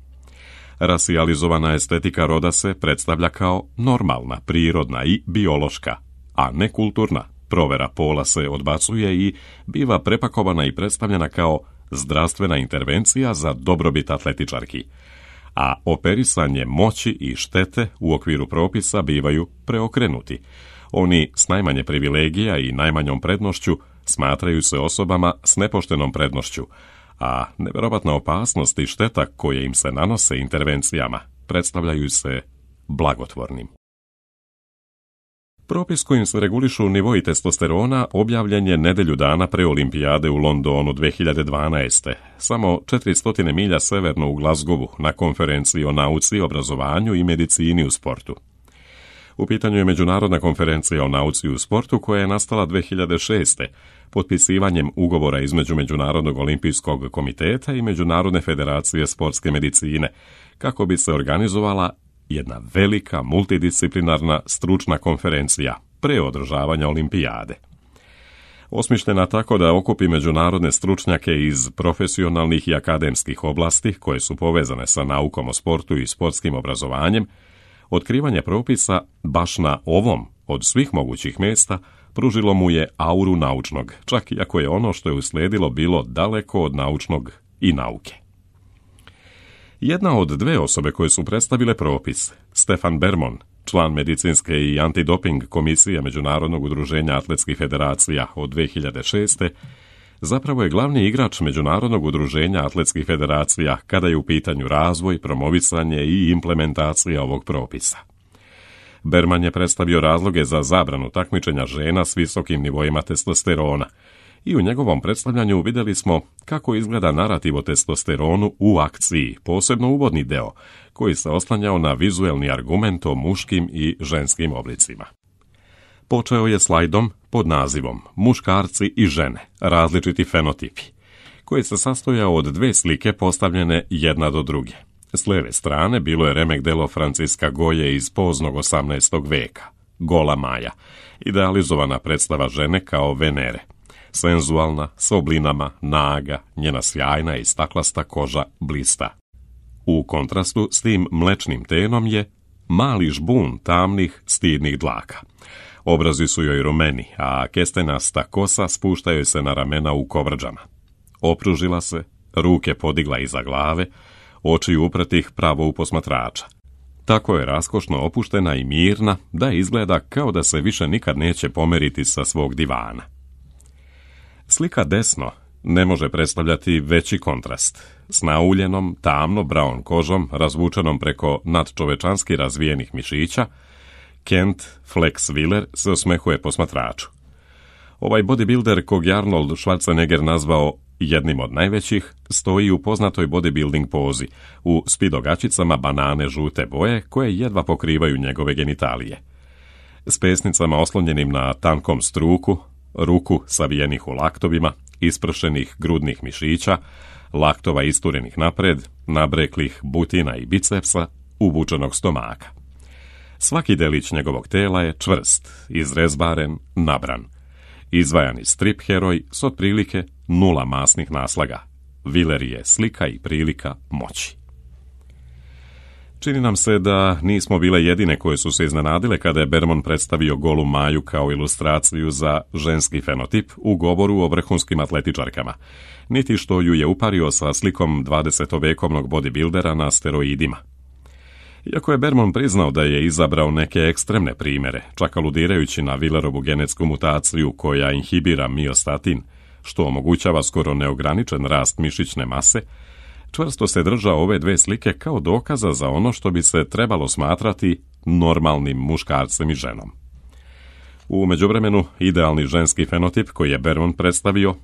Rasijalizovana estetika roda se predstavlja kao normalna, prirodna i biološka, a ne kulturna. Provera pola se odbacuje i biva prepakovana i predstavljena kao zdravstvena intervencija za dobrobit atletičarki, a operisanje moći i štete u okviru propisa bivaju preokrenuti. Oni s najmanje privilegija i najmanjom prednošću smatraju se osobama s nepoštenom prednošću, a nevjerovatna opasnost i šteta koje im se nanose intervencijama predstavljaju se blagotvornim. Propis kojim se regulišu nivoi testosterona objavljen je nedelju dana pre Olimpijade u Londonu dve hiljade dvanaeste. Samo četiristo milja severno u Glasgowu na konferenciji o nauci, obrazovanju i medicini u sportu. U pitanju je Međunarodna konferencija o nauci u sportu koja je nastala dve hiljade šeste. potpisivanjem ugovora između Međunarodnog olimpijskog komiteta i Međunarodne federacije sportske medicine, kako bi se organizovala jedna velika multidisciplinarna stručna konferencija pre održavanja olimpijade. Osmišljena tako da okupi međunarodne stručnjake iz profesionalnih i akademskih oblasti koje su povezane sa naukom o sportu i sportskim obrazovanjem, otkrivanje propisa baš na ovom od svih mogućih mjesta pružilo mu je auru naučnog, čak i ako je ono što je uslijedilo bilo daleko od naučnog i nauke. Jedna od dve osobe koje su predstavile propis, Stefan Bermon, član medicinske i antidoping komisije Međunarodnog udruženja atletskih federacija od dve hiljade šeste, zapravo je glavni igrač Međunarodnog udruženja atletskih federacija kada je u pitanju razvoj, promovisanje i implementacija ovog propisa. Berman je predstavio razloge za zabranu takmičenja žena s visokim nivoima testosterona i u njegovom predstavljanju vidjeli smo kako izgleda narativ o testosteronu u akciji, posebno uvodni deo, koji se oslanjao na vizuelni argument o muškim i ženskim oblicima. Počeo je slajdom pod nazivom Muškarci i žene, različiti fenotipi, koji se sastojao od dve slike postavljene jedna do druge. S lijeve strane bilo je remek delo Franciska Goje iz poznog osamnaestog veka, Gola Maja, idealizovana predstava žene kao Venere, senzualna, s oblinama, naga, njena sjajna i staklasta koža blista. U kontrastu s tim mlečnim tenom je mali žbun tamnih, stidnih dlaka. Obrazi su joj rumeni, a kestenasta kosa spuštaju se na ramena u kovrđama. Opružila se, ruke podigla iza glave, oči upretih pravo u posmatrača. Tako je raskošno opuštena i mirna da izgleda kao da se više nikad neće pomeriti sa svog divana. Slika desno ne može predstavljati veći kontrast. S nauljenom, tamno brown kožom, razvučenom preko nadčovečanski razvijenih mišića, Kent Flex Wheeler se osmehuje posmatraču. Ovaj bodybuilder, kog je Arnold Schwarzenegger nazvao Jednim od najvećih stoji u poznatoj bodybuilding pozi, u spidogačicama banane žute boje koje jedva pokrivaju njegove genitalije. S pesnicama oslonjenim na tankom struku, ruku savijenih u laktovima, ispršenih grudnih mišića, laktova isturenih napred, nabreklih butina i bicepsa, uvučenog stomaka. Svaki delić njegovog tela je čvrst, izrezbaren, nabran. Izvajani strip heroj s otprilike nula masnih naslaga. Wheeler je slika i prilika moći. Čini nam se da nismo bile jedine koje su se iznenadile kada je Bermond predstavio golu Maju kao ilustraciju za ženski fenotip u govoru o vrhunskim atletičarkama, niti što ju je upario sa slikom dvadesetovekovnog bodybuildera na steroidima. Iako je Bermond priznao da je izabrao neke ekstremne primjere, čak aludirajući na Wheelerovu genetsku mutaciju koja inhibira miostatin, što omogućava skoro neograničen rast mišićne mase, čvrsto se držao ove dve slike kao dokaza za ono što bi se trebalo smatrati normalnim muškarcem i ženom. U međuvremenu, idealni ženski fenotip koji je Bermond predstavio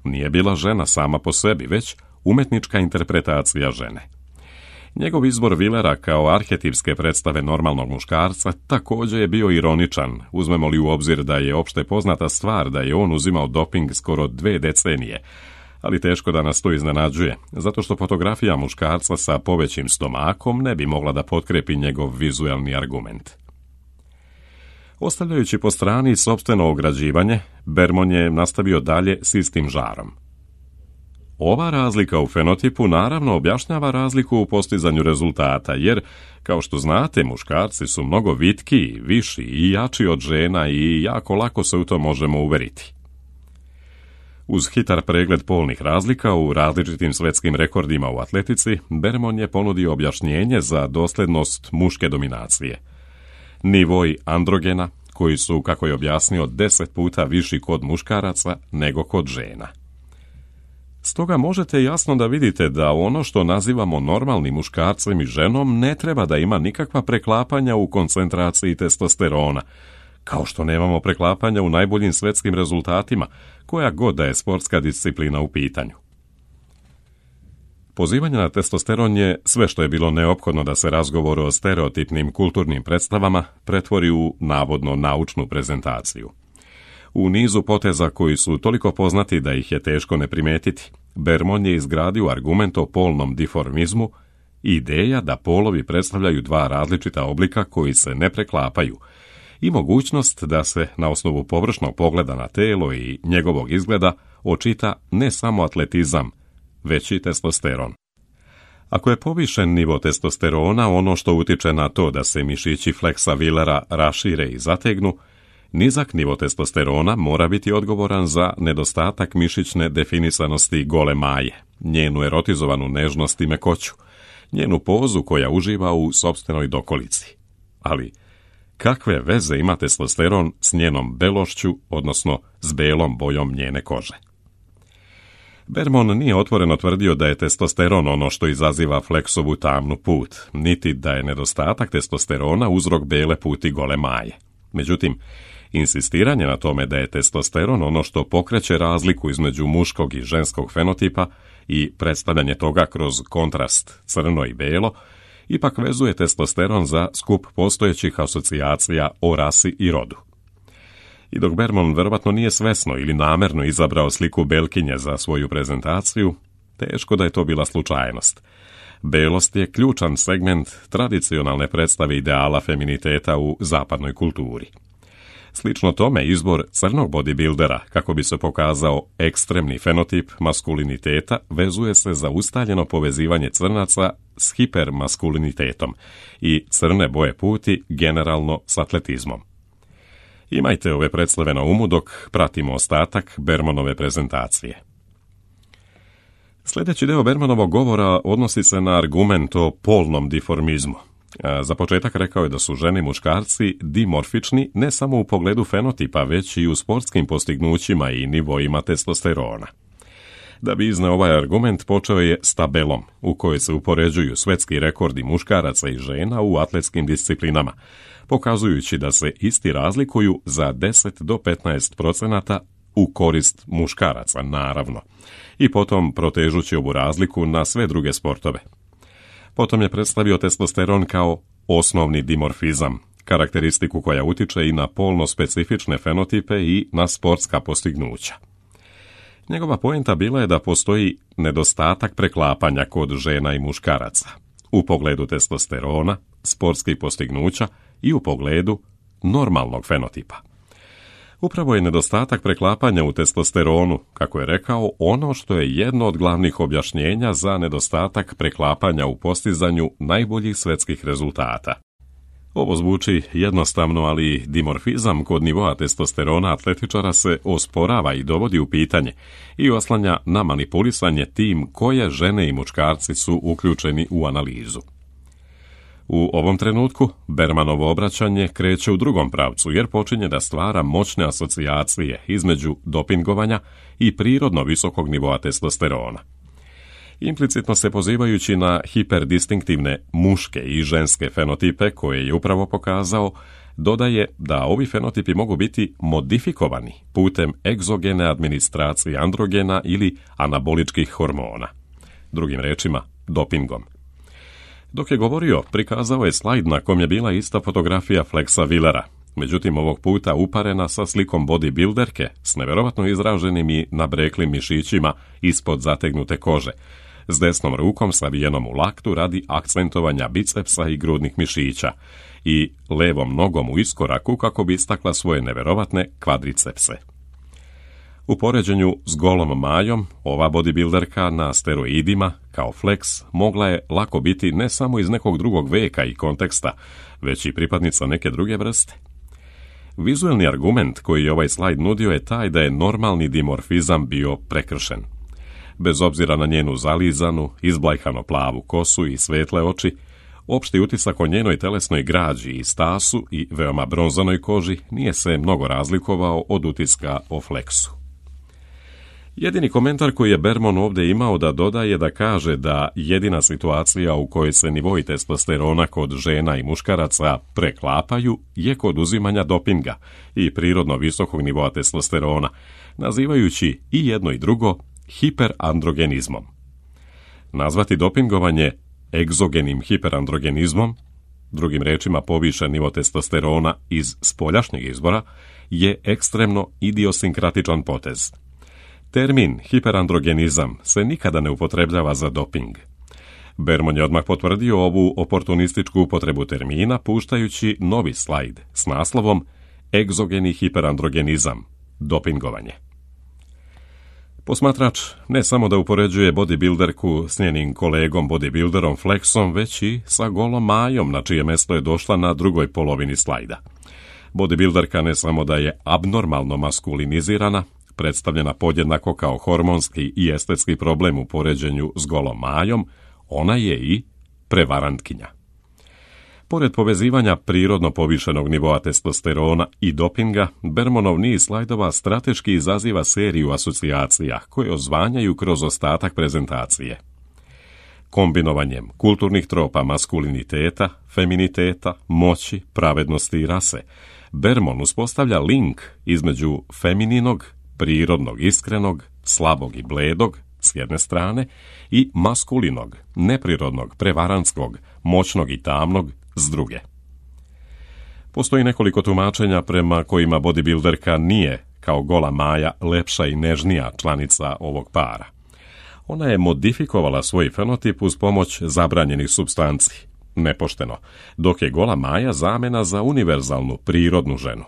nije bila žena sama po sebi, već umetnička interpretacija žene. Njegov izbor Wheelera kao arhetipske predstave normalnog muškarca također je bio ironičan, uzmemo li u obzir da je opšte poznata stvar da je on uzimao doping skoro dve decenije, ali teško da nas to iznenađuje, zato što fotografija muškarca sa povećim stomakom ne bi mogla da potkrepi njegov vizuelni argument. Ostavljajući po strani sopstveno ograđivanje, Bermond je nastavio dalje s istim žarom. Ova razlika u fenotipu naravno objašnjava razliku u postizanju rezultata, jer, kao što znate, muškarci su mnogo vitkiji, viši i jači od žena i jako lako se u to možemo uveriti. Uz hitar pregled polnih razlika u različitim svetskim rekordima u atletici, Bermond je ponudio objašnjenje za dosljednost muške dominacije. Nivoi androgena, koji su, kako je objasnio, deset puta viši kod muškaraca nego kod žena. Stoga možete jasno da vidite da ono što nazivamo normalnim muškarcem i ženom ne treba da ima nikakva preklapanja u koncentraciji testosterona, kao što nemamo preklapanja u najboljim svetskim rezultatima, koja god da je sportska disciplina u pitanju. Pozivanje na testosteron je sve što je bilo neophodno da se razgovor o stereotipnim kulturnim predstavama pretvori u navodno naučnu prezentaciju. U nizu poteza koji su toliko poznati da ih je teško ne primetiti, Bermond je izgradio argument o polnom diformizmu i ideja da polovi predstavljaju dva različita oblika koji se ne preklapaju i mogućnost da se na osnovu površnog pogleda na telo i njegovog izgleda očita ne samo atletizam, već i testosteron. Ako je povišen nivo testosterona ono što utiče na to da se mišići fleksa Wheelera rašire i zategnu, nizak nivo testosterona mora biti odgovoran za nedostatak mišićne definisanosti gole Maje, njenu erotizovanu nežnost i mekoću, njenu pozu koja uživa u sopstvenoj dokolici. Ali kakve veze ima testosteron s njenom belošću, odnosno s belom bojom njene kože? Bermond nije otvoreno tvrdio da je testosteron ono što izaziva fleksovu tamnu put, niti da je nedostatak testosterona uzrok bele puti gole Maje. Međutim, insistiranje na tome da je testosteron ono što pokreće razliku između muškog i ženskog fenotipa i predstavljanje toga kroz kontrast crno i belo, ipak vezuje testosteron za skup postojećih asocijacija o rasi i rodu. I dok Bermond verovatno nije svesno ili namerno izabrao sliku belkinje za svoju prezentaciju, teško da je to bila slučajnost. Belost je ključan segment tradicionalne predstave ideala feminiteta u zapadnoj kulturi. Slično tome, izbor crnog bodybuildera, kako bi se pokazao ekstremni fenotip maskuliniteta, vezuje se za ustaljeno povezivanje crnaca s hipermaskulinitetom i crne boje puti generalno s atletizmom. Imajte ove predstave na umu dok pratimo ostatak Bermondove prezentacije. Sljedeći deo Bermondovog govora odnosi se na argument o polnom diformizmu. Za početak rekao je da su žene i muškarci dimorfični ne samo u pogledu fenotipa, već i u sportskim postignućima i nivoima testosterona. Da bi izneo ovaj argument, počeo je s tabelom, u kojoj se upoređuju svetski rekordi muškaraca i žena u atletskim disciplinama, pokazujući da se isti razlikuju za deset do petnaest procenata u korist muškaraca, naravno, i potom protežući ovu razliku na sve druge sportove. Potom je predstavio testosteron kao osnovni dimorfizam, karakteristiku koja utiče i na polno specifične fenotipe i na sportska postignuća. Njegova poenta bila je da postoji nedostatak preklapanja kod žena i muškaraca u pogledu testosterona, sportskih postignuća i u pogledu normalnog fenotipa. Upravo je nedostatak preklapanja u testosteronu, kako je rekao, ono što je jedno od glavnih objašnjenja za nedostatak preklapanja u postizanju najboljih svjetskih rezultata. Ovo zvuči jednostavno, ali dimorfizam kod nivoa testosterona atletičara se osporava i dovodi u pitanje i oslanja na manipulisanje tim koje žene i muškarci su uključeni u analizu. U ovom trenutku Bermanovo obraćanje kreće u drugom pravcu jer počinje da stvara moćne asocijacije između dopingovanja i prirodno visokog nivoa testosterona. Implicitno se pozivajući na hiperdistinktivne muške i ženske fenotipe koje je upravo pokazao, dodaje da ovi fenotipi mogu biti modifikovani putem egzogene administracije androgena ili anaboličkih hormona, drugim rečima dopingom. Dok je govorio, prikazao je slajd na kom je bila ista fotografija Flexa Willera, međutim ovog puta uparena sa slikom bodybuilderke s neverovatno izraženim i nabreklim mišićima ispod zategnute kože, s desnom rukom savijenom u laktu radi akcentovanja bicepsa i grudnih mišića i levom nogom u iskoraku kako bi istakla svoje neverovatne kvadricepse. U poređenju s golom Majom, ova bodybuilderka na steroidima, kao Flex, mogla je lako biti ne samo iz nekog drugog veka i konteksta, već i pripadnica neke druge vrste. Vizuelni argument koji je ovaj slajd nudio je taj da je normalni dimorfizam bio prekršen. Bez obzira na njenu zalizanu, izblajhano plavu kosu i svetle oči, opšti utisak o njenoj telesnoj građi i stasu i veoma bronzanoj koži nije se mnogo razlikovao od utiska o Flexu. Jedini komentar koji je Berman ovdje imao da dodaje da kaže da jedina situacija u kojoj se nivoi testosterona kod žena i muškaraca preklapaju je kod uzimanja dopinga i prirodno visokog nivoa testosterona, nazivajući i jedno i drugo hiperandrogenizmom. Nazvati dopingovanje egzogenim hiperandrogenizmom, drugim rečima povišen nivo testosterona iz spoljašnjeg izbora, je ekstremno idiosinkratičan potez. Termin hiperandrogenizam se nikada ne upotrebljava za doping. Berman je odmah potvrdio ovu oportunističku upotrebu termina puštajući novi slajd s naslovom Egzogeni hiperandrogenizam, dopingovanje. Posmatrač ne samo da upoređuje bodybuilderku s njenim kolegom bodybuilderom Flexom, već i sa golom Majom, na čije mesto je došla na drugoj polovini slajda. Bodybuilderka ne samo da je abnormalno maskulinizirana, predstavljena podjednako kao hormonski i estetski problem u poređenju s golom Majom, ona je i prevarantkinja. Pored povezivanja prirodno povišenog nivoa testosterona i dopinga, Bermanov niz slajdova strateški izaziva seriju asocijacija koje ozvanjaju kroz ostatak prezentacije. Kombinovanjem kulturnih tropa maskuliniteta, feminiteta, moći, pravednosti i rase, Berman uspostavlja link između femininog, prirodnog, iskrenog, slabog i bledog, s jedne strane, i maskulinog, neprirodnog, prevarantskog, moćnog i tamnog, s druge. Postoji nekoliko tumačenja prema kojima bodybuilderka nije, kao gola Maja, lepša i nežnija članica ovog para. Ona je modifikovala svoj fenotip uz pomoć zabranjenih supstanci, nepošteno, dok je gola Maja zamena za univerzalnu, prirodnu ženu.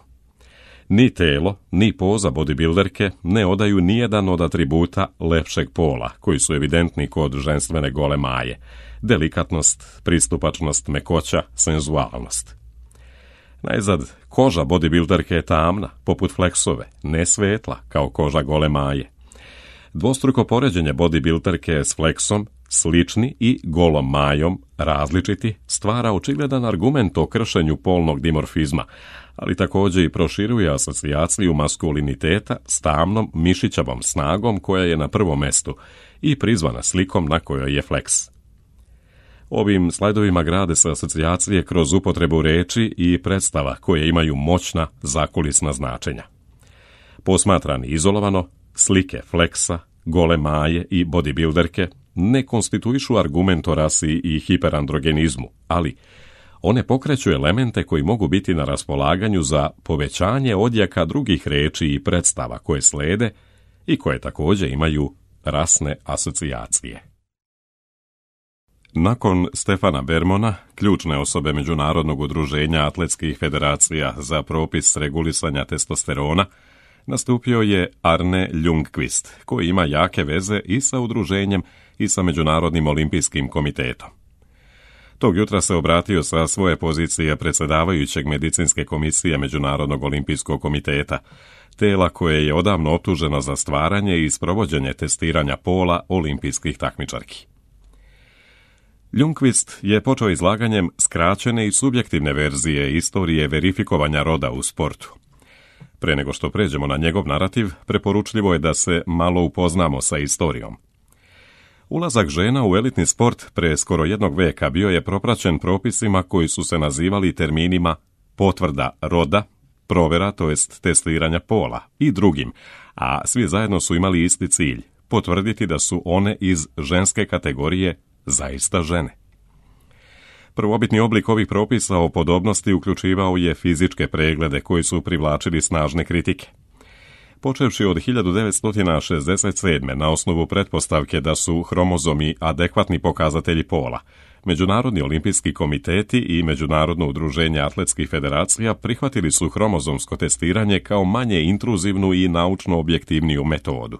Ni telo, ni poza bodybuilderke ne odaju nijedan od atributa lepšeg pola, koji su evidentni kod ženstvene gole Maje: delikatnost, pristupačnost, mekoća, senzualnost. Najzad, koža bodybuilderke je tamna, poput Flexove, ne svetla, kao koža gole Maje. Dvostruko poređenje bodybuilderke s Flexom, slični i golom Majom, različiti, stvara očigledan argument o kršenju polnog dimorfizma, ali također i proširuje asocijaciju maskuliniteta s tamnom mišićavom snagom koja je na prvom mestu i prizvana slikom na kojoj je Flex. Ovim slajdovima grade se asocijacije kroz upotrebu reči i predstava koje imaju moćna zakulisna značenja. Posmatrani izolovano, slike fleksa, gole maje i bodybuilderke ne konstituišu argument o rasi i hiperandrogenizmu, ali one pokreću elemente koji mogu biti na raspolaganju za povećanje odjeka drugih reči i predstava koje slede i koje također imaju rasne asocijacije. Nakon Stefana Bermona, ključne osobe Međunarodnog udruženja atletskih federacija za propis regulisanja testosterona, nastupio je Arne Ljungqvist, koji ima jake veze i sa udruženjem i sa Međunarodnim olimpijskim komitetom. Tog jutra se obratio sa svoje pozicije predsjedavajućeg medicinske komisije Međunarodnog olimpijskog komiteta, tela koje je odavno optuženo za stvaranje i sprovođenje testiranja pola olimpijskih takmičarki. Ljungqvist je počeo izlaganjem skraćene i subjektivne verzije istorije verifikovanja roda u sportu. Pre nego što pređemo na njegov narativ, preporučljivo je da se malo upoznamo sa istorijom. Ulazak žena u elitni sport pre skoro jednog veka bio je propraćen propisima koji su se nazivali terminima potvrda roda, provera, to jest testiranja pola i drugim, a svi zajedno su imali isti cilj, potvrditi da su one iz ženske kategorije zaista žene. Prvobitni oblik ovih propisa o podobnosti uključivao je fizičke preglede koji su privlačili snažne kritike. Počevši od hiljadu devetsto šezdeset sedme na osnovu pretpostavke da su hromozomi adekvatni pokazatelji pola, Međunarodni olimpijski komiteti i Međunarodno udruženje atletskih federacija prihvatili su hromozomsko testiranje kao manje intruzivnu i naučno objektivniju metodu.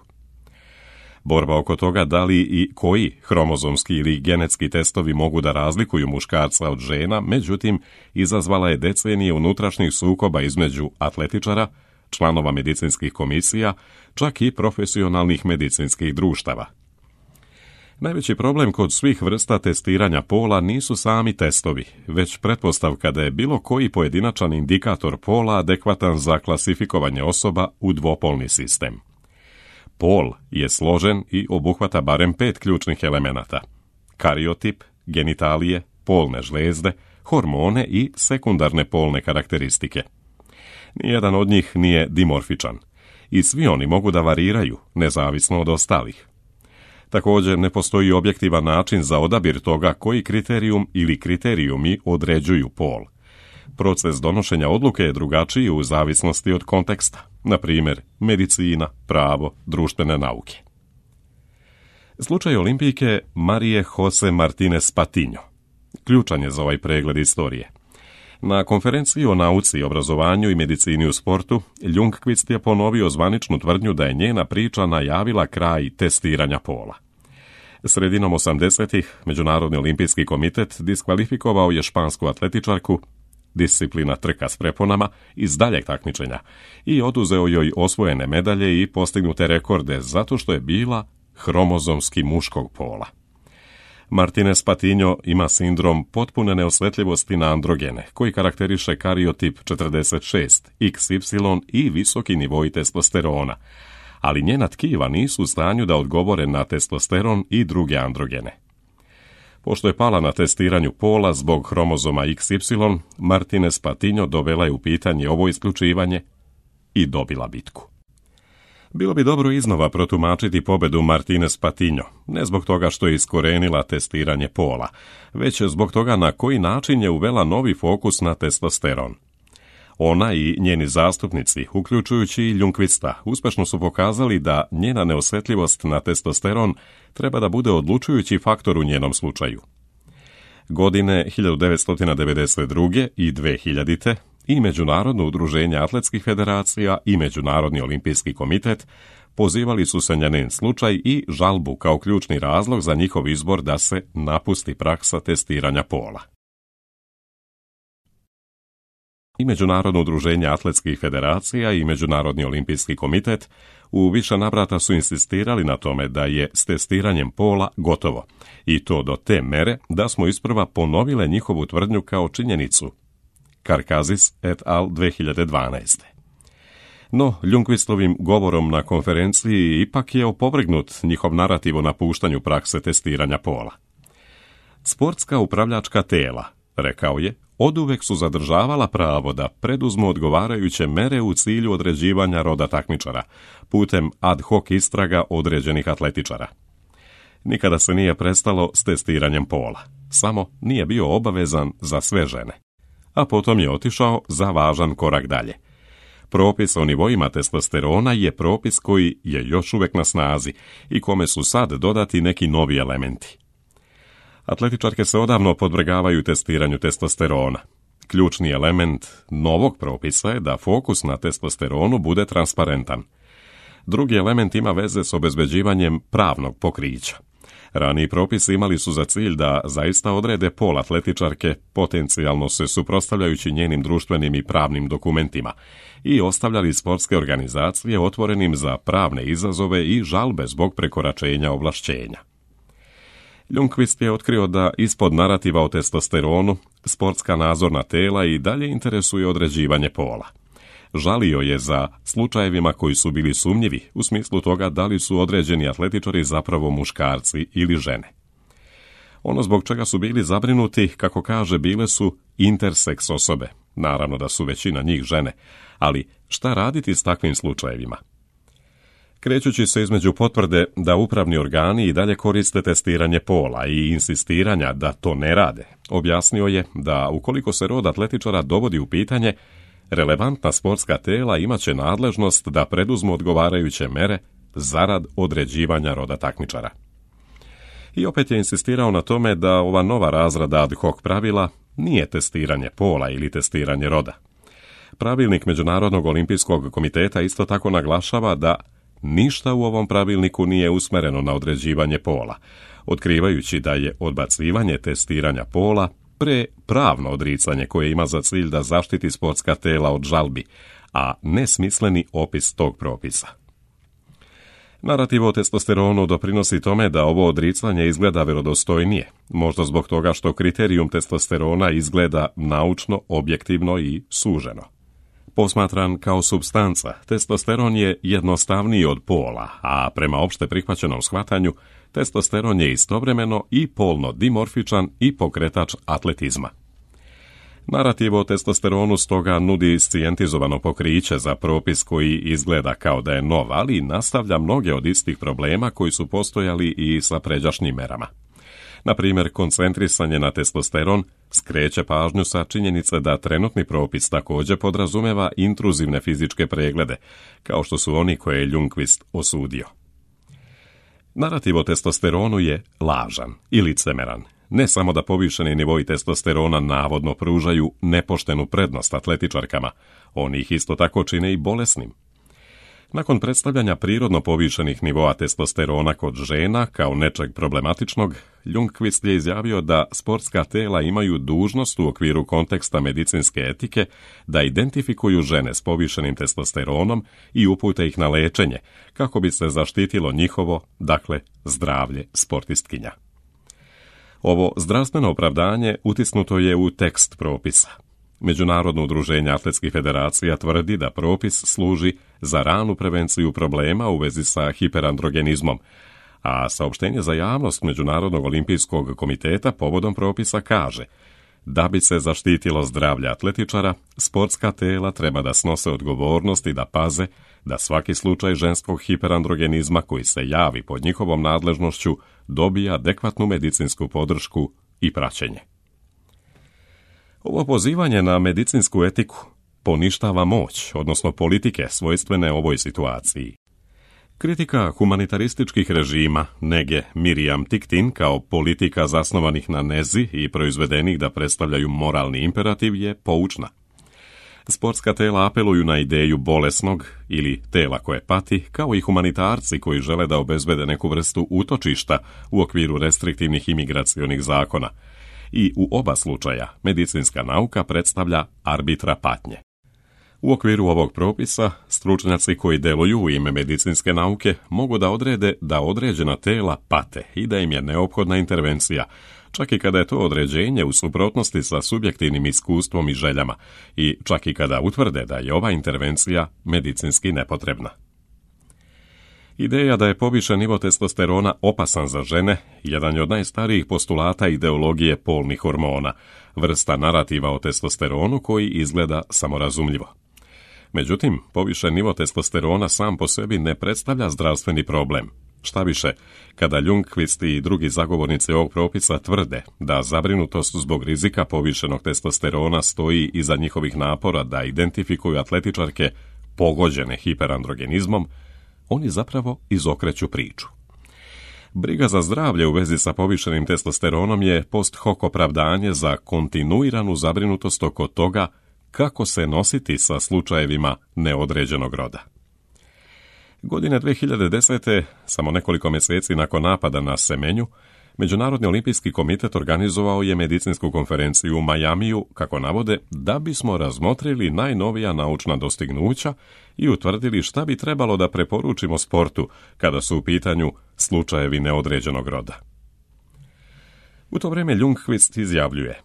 Borba oko toga da li i koji hromozomski ili genetski testovi mogu da razlikuju muškarca od žena, međutim, izazvala je decenije unutrašnjih sukoba između atletičara, članova medicinskih komisija, čak i profesionalnih medicinskih društava. Najveći problem kod svih vrsta testiranja pola nisu sami testovi, već pretpostavka da je bilo koji pojedinačan indikator pola adekvatan za klasifikovanje osoba u dvopolni sistem. Pol je složen i obuhvata barem pet ključnih elemenata: kariotip, genitalije, polne žlezde, hormone i sekundarne polne karakteristike. Nijedan od njih nije dimorfičan i svi oni mogu da variraju, nezavisno od ostalih. Također ne postoji objektivan način za odabir toga koji kriterijum ili kriterijumi određuju pol. Proces donošenja odluke je drugačiji u zavisnosti od konteksta, na primjer medicina, pravo, društvene nauke. Slučaj olimpijke Marije Jose Martinez Patiño ključan je za ovaj pregled istorije. Na konferenciji o nauci, obrazovanju i medicini u sportu, Ljungqvist je ponovio zvaničnu tvrdnju da je njena priča najavila kraj testiranja pola. Sredinom osamdesetih Međunarodni olimpijski komitet diskvalifikovao je špansku atletičarku, disciplina trka s preponama, iz daljeg takmičenja i oduzeo joj osvojene medalje i postignute rekorde zato što je bila hromozomski muškog pola. Martinez Patiño ima sindrom potpune neosjetljivosti na androgene, koji karakteriše kariotip četrdeset šest iks ipsilon i visoki nivoi testosterona, ali njena tkiva nisu u stanju da odgovore na testosteron i druge androgene. Pošto je pala na testiranju pola zbog hromozoma iks ipsilon, Martinez Patiño dovela je u pitanje ovo isključivanje i dobila bitku. Bilo bi dobro iznova protumačiti pobedu Martinez Patiño, ne zbog toga što je iskorenila testiranje pola, već zbog toga na koji način je uvela novi fokus na testosteron. Ona i njeni zastupnici, uključujući i Ljungqvista, uspešno su pokazali da njena neosjetljivost na testosteron treba da bude odlučujući faktor u njenom slučaju. Godine hiljadu devetsto devedeset druge i dve hiljadite i Međunarodno udruženje atletskih federacija i Međunarodni olimpijski komitet pozivali su se na njen slučaj i žalbu kao ključni razlog za njihov izbor da se napusti praksa testiranja pola. I Međunarodno udruženje atletskih federacija i Međunarodni olimpijski komitet u više navrata su insistirali na tome da je s testiranjem pola gotovo, i to do te mere da smo isprva ponovile njihovu tvrdnju kao činjenicu. Karkazis et al. dve hiljade dvanaeste. No, Ljungqvistovim govorom na konferenciji ipak je opovrgnut njihov narativ o napuštanju prakse testiranja pola. Sportska upravljačka tela, rekao je, oduvek su zadržavala pravo da preduzmu odgovarajuće mere u cilju određivanja roda takmičara, putem ad hoc istraga određenih atletičara. Nikada se nije prestalo s testiranjem pola, samo nije bio obavezan za sve žene. A potom je otišao za važan korak dalje. Propis o nivoima testosterona je propis koji je još uvijek na snazi i kome su sad dodati neki novi elementi. Atletičarke se odavno podvrgavaju testiranju testosterona. Ključni element novog propisa je da fokus na testosteronu bude transparentan. Drugi element ima veze s obezbeđivanjem pravnog pokrića. Raniji propisi imali su za cilj da zaista odrede pol atletičarke, potencijalno se suprotstavljajući njenim društvenim i pravnim dokumentima, i ostavljali sportske organizacije otvorenim za pravne izazove i žalbe zbog prekoračenja ovlašćenja. Ljungqvist je otkrio da ispod narativa o testosteronu sportska nadzorna tela i dalje interesuje određivanje pola. Žalio je za slučajevima koji su bili sumnjivi u smislu toga da li su određeni atletičari zapravo muškarci ili žene. Ono zbog čega su bili zabrinuti, kako kaže, bile su interseks osobe. Naravno da su većina njih žene, ali šta raditi s takvim slučajevima? Krećući se između potvrde da upravni organi i dalje koriste testiranje pola i insistiranja da to ne rade, objasnio je da ukoliko se rod atletičara dovodi u pitanje, relevantna sportska tela imaće nadležnost da preduzmu odgovarajuće mere zarad određivanja roda takmičara. I opet je insistirao na tome da ova nova razrada ad hoc pravila nije testiranje pola ili testiranje roda. Pravilnik Međunarodnog olimpijskog komiteta isto tako naglašava da ništa u ovom pravilniku nije usmereno na određivanje pola, otkrivajući da je odbacivanje testiranja pola pre pravno odricanje koje ima za cilj da zaštiti sportska tela od žalbi, a nesmisleni opis tog propisa. Narativ o testosteronu doprinosi tome da ovo odricanje izgleda vjerodostojnije, možda zbog toga što kriterijum testosterona izgleda naučno, objektivno i suženo. Posmatran kao supstanca, testosteron je jednostavniji od pola, a prema opšte prihvaćenom shvatanju, testosteron je istovremeno i polno dimorfičan i pokretač atletizma. Narativ o testosteronu stoga nudi iscijentizovano pokriće za propis koji izgleda kao da je nov, ali nastavlja mnoge od istih problema koji su postojali i sa pređašnjim merama. Na primjer, koncentrisanje na testosteron skreće pažnju sa činjenice da trenutni propis također podrazumeva intruzivne fizičke preglede, kao što su oni koje je Ljungqvist osudio. Narativ o testosteronu je lažan i licemeran. Ne samo da povišeni nivoi testosterona navodno pružaju nepoštenu prednost atletičarkama, oni ih isto tako čine i bolesnim. Nakon predstavljanja prirodno povišenih nivoa testosterona kod žena kao nečeg problematičnog, Ljungqvist je izjavio da sportska tela imaju dužnost u okviru konteksta medicinske etike da identifikuju žene s povišenim testosteronom i upute ih na lečenje, kako bi se zaštitilo njihovo, dakle, zdravlje sportistkinja. Ovo zdravstveno opravdanje utisnuto je u tekst propisa. Međunarodno udruženje atletskih federacija tvrdi da propis služi za ranu prevenciju problema u vezi sa hiperandrogenizmom, a saopštenje za javnost Međunarodnog olimpijskog komiteta povodom propisa kaže da bi se zaštitilo zdravlje atletičara, sportska tela treba da snose odgovornost i da paze da svaki slučaj ženskog hiperandrogenizma koji se javi pod njihovom nadležnošću dobija adekvatnu medicinsku podršku i praćenje. Ovo pozivanje na medicinsku etiku poništava moć, odnosno politike svojstvene ovoj situaciji. Kritika humanitarističkih režima Nege Miriam Tiktin kao politika zasnovanih na nezi i proizvedenih da predstavljaju moralni imperativ je poučna. Sportska tela apeluju na ideju bolesnog ili tela koje pati, kao i humanitarci koji žele da obezbede neku vrstu utočišta u okviru restriktivnih imigracionih zakona. I u oba slučaja medicinska nauka predstavlja arbitra patnje. U okviru ovog propisa, stručnjaci koji deluju u ime medicinske nauke mogu da odrede da određena tela pate i da im je neophodna intervencija, čak i kada je to određenje u suprotnosti sa subjektivnim iskustvom i željama i čak i kada utvrde da je ova intervencija medicinski nepotrebna. Ideja da je povišen nivo testosterona opasan za žene jedan je od najstarijih postulata ideologije polnih hormona, vrsta narativa o testosteronu koji izgleda samorazumljivo. Međutim, povišen nivo testosterona sam po sebi ne predstavlja zdravstveni problem. Šta više, kada Ljungqvist i drugi zagovornici ovog propisa tvrde da zabrinutost zbog rizika povišenog testosterona stoji iza njihovih napora da identifikuju atletičarke pogođene hiperandrogenizmom, oni zapravo izokreću priču. Briga za zdravlje u vezi sa povišenim testosteronom je post hoc opravdanje za kontinuiranu zabrinutost oko toga kako se nositi sa slučajevima neodređenog roda. Godine dve hiljade desete, samo nekoliko mjeseci nakon napada na Semenju, Međunarodni olimpijski komitet organizovao je medicinsku konferenciju u Majamiju, kako navode, da bismo razmotrili najnovija naučna dostignuća i utvrdili šta bi trebalo da preporučimo sportu kada su u pitanju slučajevi neodređenog roda. U to vrijeme Ljungqvist izjavljuje: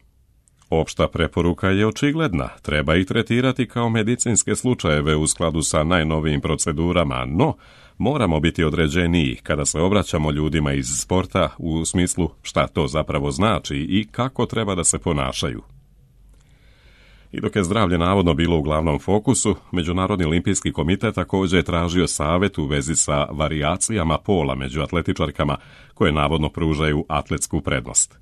opšta preporuka je očigledna, treba ih tretirati kao medicinske slučajeve u skladu sa najnovijim procedurama, no moramo biti određeniji kada se obraćamo ljudima iz sporta u smislu šta to zapravo znači i kako treba da se ponašaju. I dok je zdravlje navodno bilo u glavnom fokusu, Međunarodni olimpijski komitet također je tražio savjet u vezi sa varijacijama pola među atletičarkama koje navodno pružaju atletsku prednost.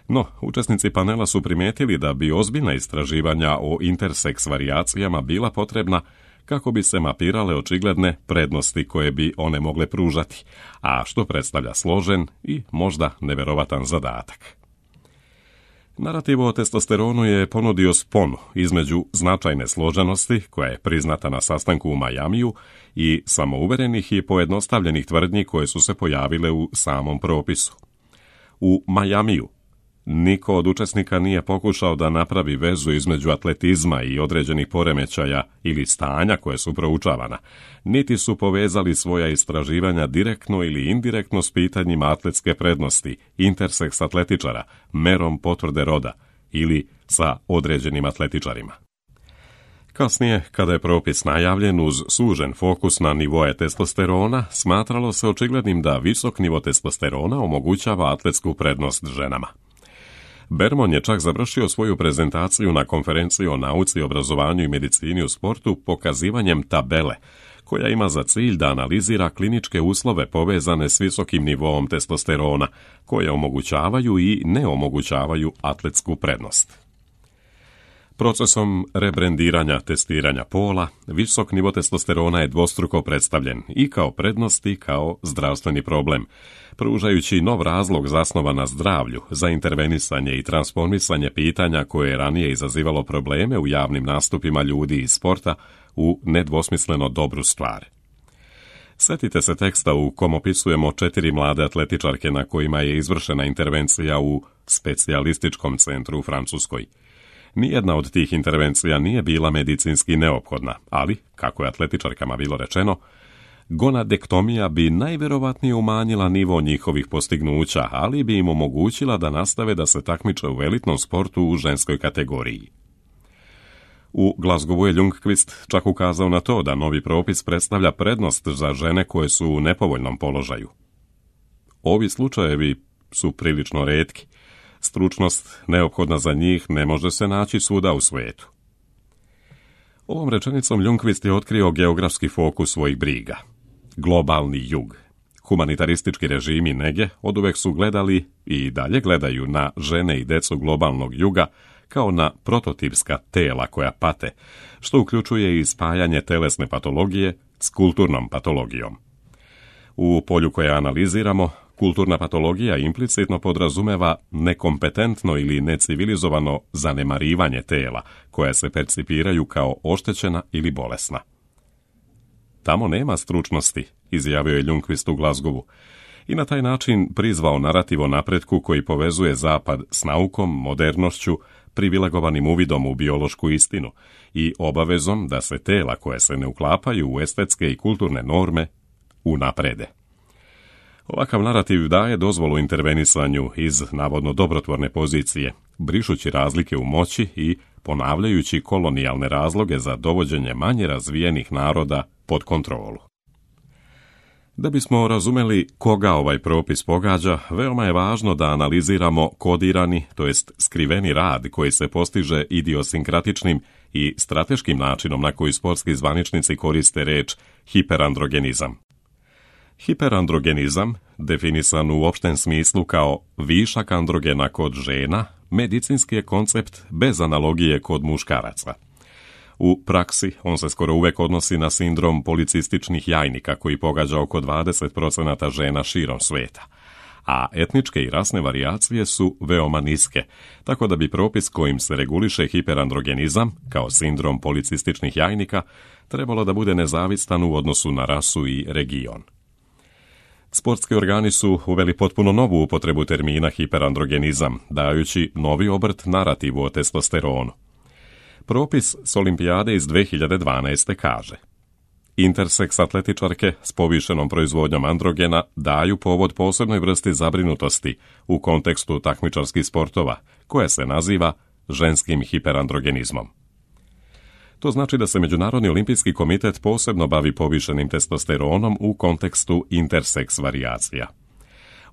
No, učesnici panela su primijetili da bi ozbiljna istraživanja o interseks varijacijama bila potrebna kako bi se mapirale očigledne prednosti koje bi one mogle pružati, a što predstavlja složen i možda neverovatan zadatak. Narativ o testosteronu je ponudio sponu između značajne složenosti, koja je priznata na sastanku u Majamiju, i samouverenih i pojednostavljenih tvrdnji koje su se pojavile u samom propisu. U Majamiju niko od učesnika nije pokušao da napravi vezu između atletizma i određenih poremećaja ili stanja koje su proučavana, niti su povezali svoja istraživanja direktno ili indirektno s pitanjima atletske prednosti, interseks atletičara, merom potvrde roda ili sa određenim atletičarima. Kasnije, kada je propis najavljen uz sužen fokus na nivoje testosterona, smatralo se očiglednim da visok nivo testosterona omogućava atletsku prednost ženama. Bermon je čak završio svoju prezentaciju na konferenciji o nauci, obrazovanju i medicini u sportu pokazivanjem tabele, koja ima za cilj da analizira kliničke uslove povezane s visokim nivoom testosterona, koje omogućavaju i ne omogućavaju atletsku prednost. Procesom rebrendiranja testiranja pola, visok nivo testosterona je dvostruko predstavljen i kao prednost i kao zdravstveni problem, pružajući nov razlog zasnovan na zdravlju za intervenisanje i transformisanje pitanja koje je ranije izazivalo probleme u javnim nastupima ljudi iz sporta u nedvosmisleno dobru stvar. Sjetite se teksta u kom opisujemo četiri mlade atletičarke na kojima je izvršena intervencija u specijalističkom centru u Francuskoj. Nijedna od tih intervencija nije bila medicinski neophodna, ali, kako je atletičarkama bilo rečeno, gonadektomija bi najverovatnije umanjila nivo njihovih postignuća, ali bi im omogućila da nastave da se takmiče u elitnom sportu u ženskoj kategoriji. U Glasgowu je Ljungqvist čak ukazao na to da novi propis predstavlja prednost za žene koje su u nepovoljnom položaju. Ovi slučajevi su prilično retki. Stručnost neophodna za njih ne može se naći svuda u svijetu. Ovom rečenicom Ljungqvist je otkrio geografski fokus svojih briga. Globalni jug. Humanitaristički režimi nege oduvek su gledali i dalje gledaju na žene i decu globalnog juga kao na prototipska tela koja pate, što uključuje i spajanje telesne patologije s kulturnom patologijom. U polju koje analiziramo, kulturna patologija implicitno podrazumeva nekompetentno ili necivilizovano zanemarivanje tela, koja se percipiraju kao oštećena ili bolesna. Tamo nema stručnosti, izjavio je Ljungqvist u Glasgowu, i na taj način prizvao narativ o napretku koji povezuje Zapad s naukom, modernošću, privilegovanim uvidom u biološku istinu i obavezom da se tela koje se ne uklapaju u estetske i kulturne norme unaprede. Ovakav narativ daje dozvolu intervenisanju iz navodno dobrotvorne pozicije, brišući razlike u moći i ponavljajući kolonijalne razloge za dovođenje manje razvijenih naroda pod kontrolu. Da bismo razumeli koga ovaj propis pogađa, veoma je važno da analiziramo kodirani, to jest skriveni rad koji se postiže idiosinkratičnim i strateškim načinom na koji sportski zvaničnici koriste reč hiperandrogenizam. Hiperandrogenizam, definisan u opštem smislu kao višak androgena kod žena, medicinski je koncept bez analogije kod muškaraca. U praksi on se skoro uvek odnosi na sindrom policističnih jajnika koji pogađa oko dvadeset procenata žena širom sveta, a etničke i rasne varijacije su veoma niske, tako da bi propis kojim se reguliše hiperandrogenizam, kao sindrom policističnih jajnika, trebalo da bude nezavistan u odnosu na rasu i region. Sportski organi su uveli potpuno novu upotrebu termina hiperandrogenizam, dajući novi obrt narativu o testosteronu. Propis s olimpijade iz dve hiljade dvanaeste kaže: interseks atletičarke s povišenom proizvodnjom androgena daju povod posebnoj vrsti zabrinutosti u kontekstu takmičarskih sportova, koja se naziva ženskim hiperandrogenizmom. To znači da se Međunarodni olimpijski komitet posebno bavi povišenim testosteronom u kontekstu interseks varijacija.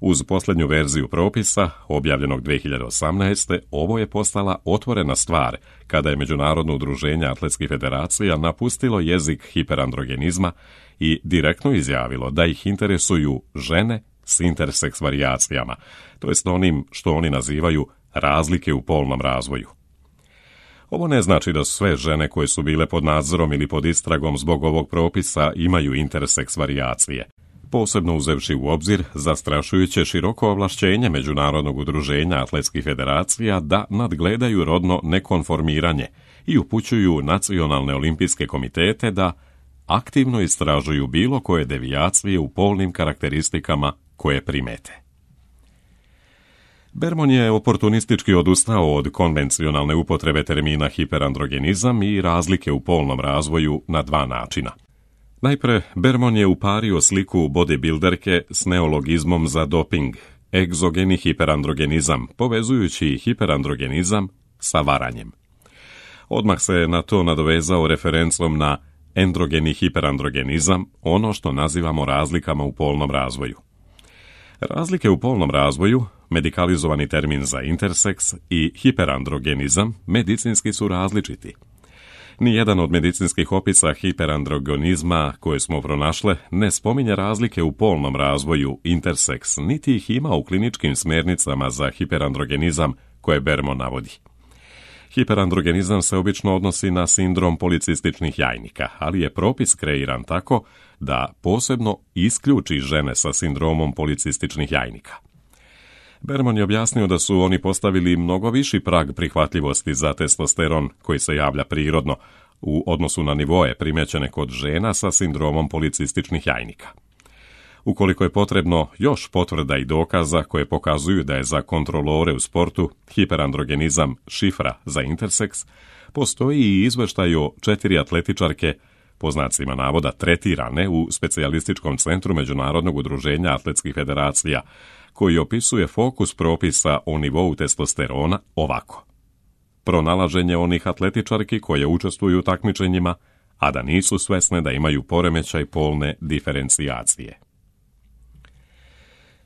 Uz posljednju verziju propisa, objavljenog dve hiljade osamnaeste. ovo je postala otvorena stvar kada je Međunarodno udruženje atletskih federacija napustilo jezik hiperandrogenizma i direktno izjavilo da ih interesuju žene s interseks varijacijama, to jest onim što oni nazivaju razlike u polnom razvoju. Ovo ne znači da sve žene koje su bile pod nadzorom ili pod istragom zbog ovog propisa imaju interseks varijacije, posebno uzevši u obzir zastrašujuće široko ovlašćenje Međunarodnog udruženja atletskih federacija da nadgledaju rodno nekonformiranje i upućuju nacionalne olimpijske komitete da aktivno istražuju bilo koje devijacije u polnim karakteristikama koje primete. Bermon je oportunistički odustao od konvencionalne upotrebe termina hiperandrogenizam i razlike u polnom razvoju na dva načina. Najpre, Bermon je upario sliku bodybuilderke s neologizmom za doping, egzogeni hiperandrogenizam, povezujući hiperandrogenizam sa varanjem. Odmah se na to nadovezao referencom na endrogeni hiperandrogenizam, ono što nazivamo razlikama u polnom razvoju. Razlike u polnom razvoju, medikalizovani termin za interseks, i hiperandrogenizam medicinski su različiti. Nijedan od medicinskih opisa hiperandrogenizma koje smo pronašle ne spominje razlike u polnom razvoju interseks, niti ih ima u kliničkim smjernicama za hiperandrogenizam koje Bermon navodi. Hiperandrogenizam se obično odnosi na sindrom policističnih jajnika, ali je propis kreiran tako da posebno isključi žene sa sindromom policističnih jajnika. Bermon je objasnio da su oni postavili mnogo viši prag prihvatljivosti za testosteron koji se javlja prirodno u odnosu na nivoe primećene kod žena sa sindromom policističnih jajnika. Ukoliko je potrebno još potvrda i dokaza koje pokazuju da je za kontrolore u sportu hiperandrogenizam šifra za interseks, postoji i izveštaj o četiri atletičarke, po znacima navoda tretirane u specijalističkom centru Međunarodnog udruženja atletskih federacija, koji opisuje fokus propisa o nivou testosterona ovako: pronalaženje onih atletičarki koje učestvuju u takmičenjima, a da nisu svesne da imaju poremećaj polne diferencijacije.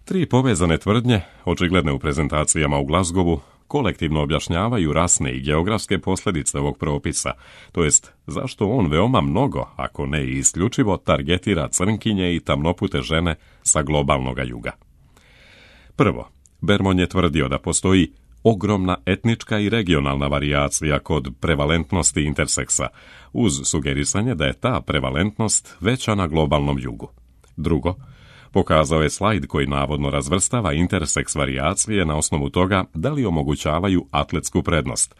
Tri povezane tvrdnje, očigledne u prezentacijama u Glasgowu, kolektivno objašnjavaju rasne i geografske posljedice ovog propisa, to jest zašto on veoma mnogo, ako ne i isključivo, targetira crnkinje i tamnopute žene sa globalnoga juga. Prvo, Bermon je tvrdio da postoji ogromna etnička i regionalna varijacija kod prevalentnosti interseksa, uz sugerisanje da je ta prevalentnost veća na globalnom jugu. Drugo, pokazao je slajd koji navodno razvrstava interseks varijacije na osnovu toga da li omogućavaju atletsku prednost,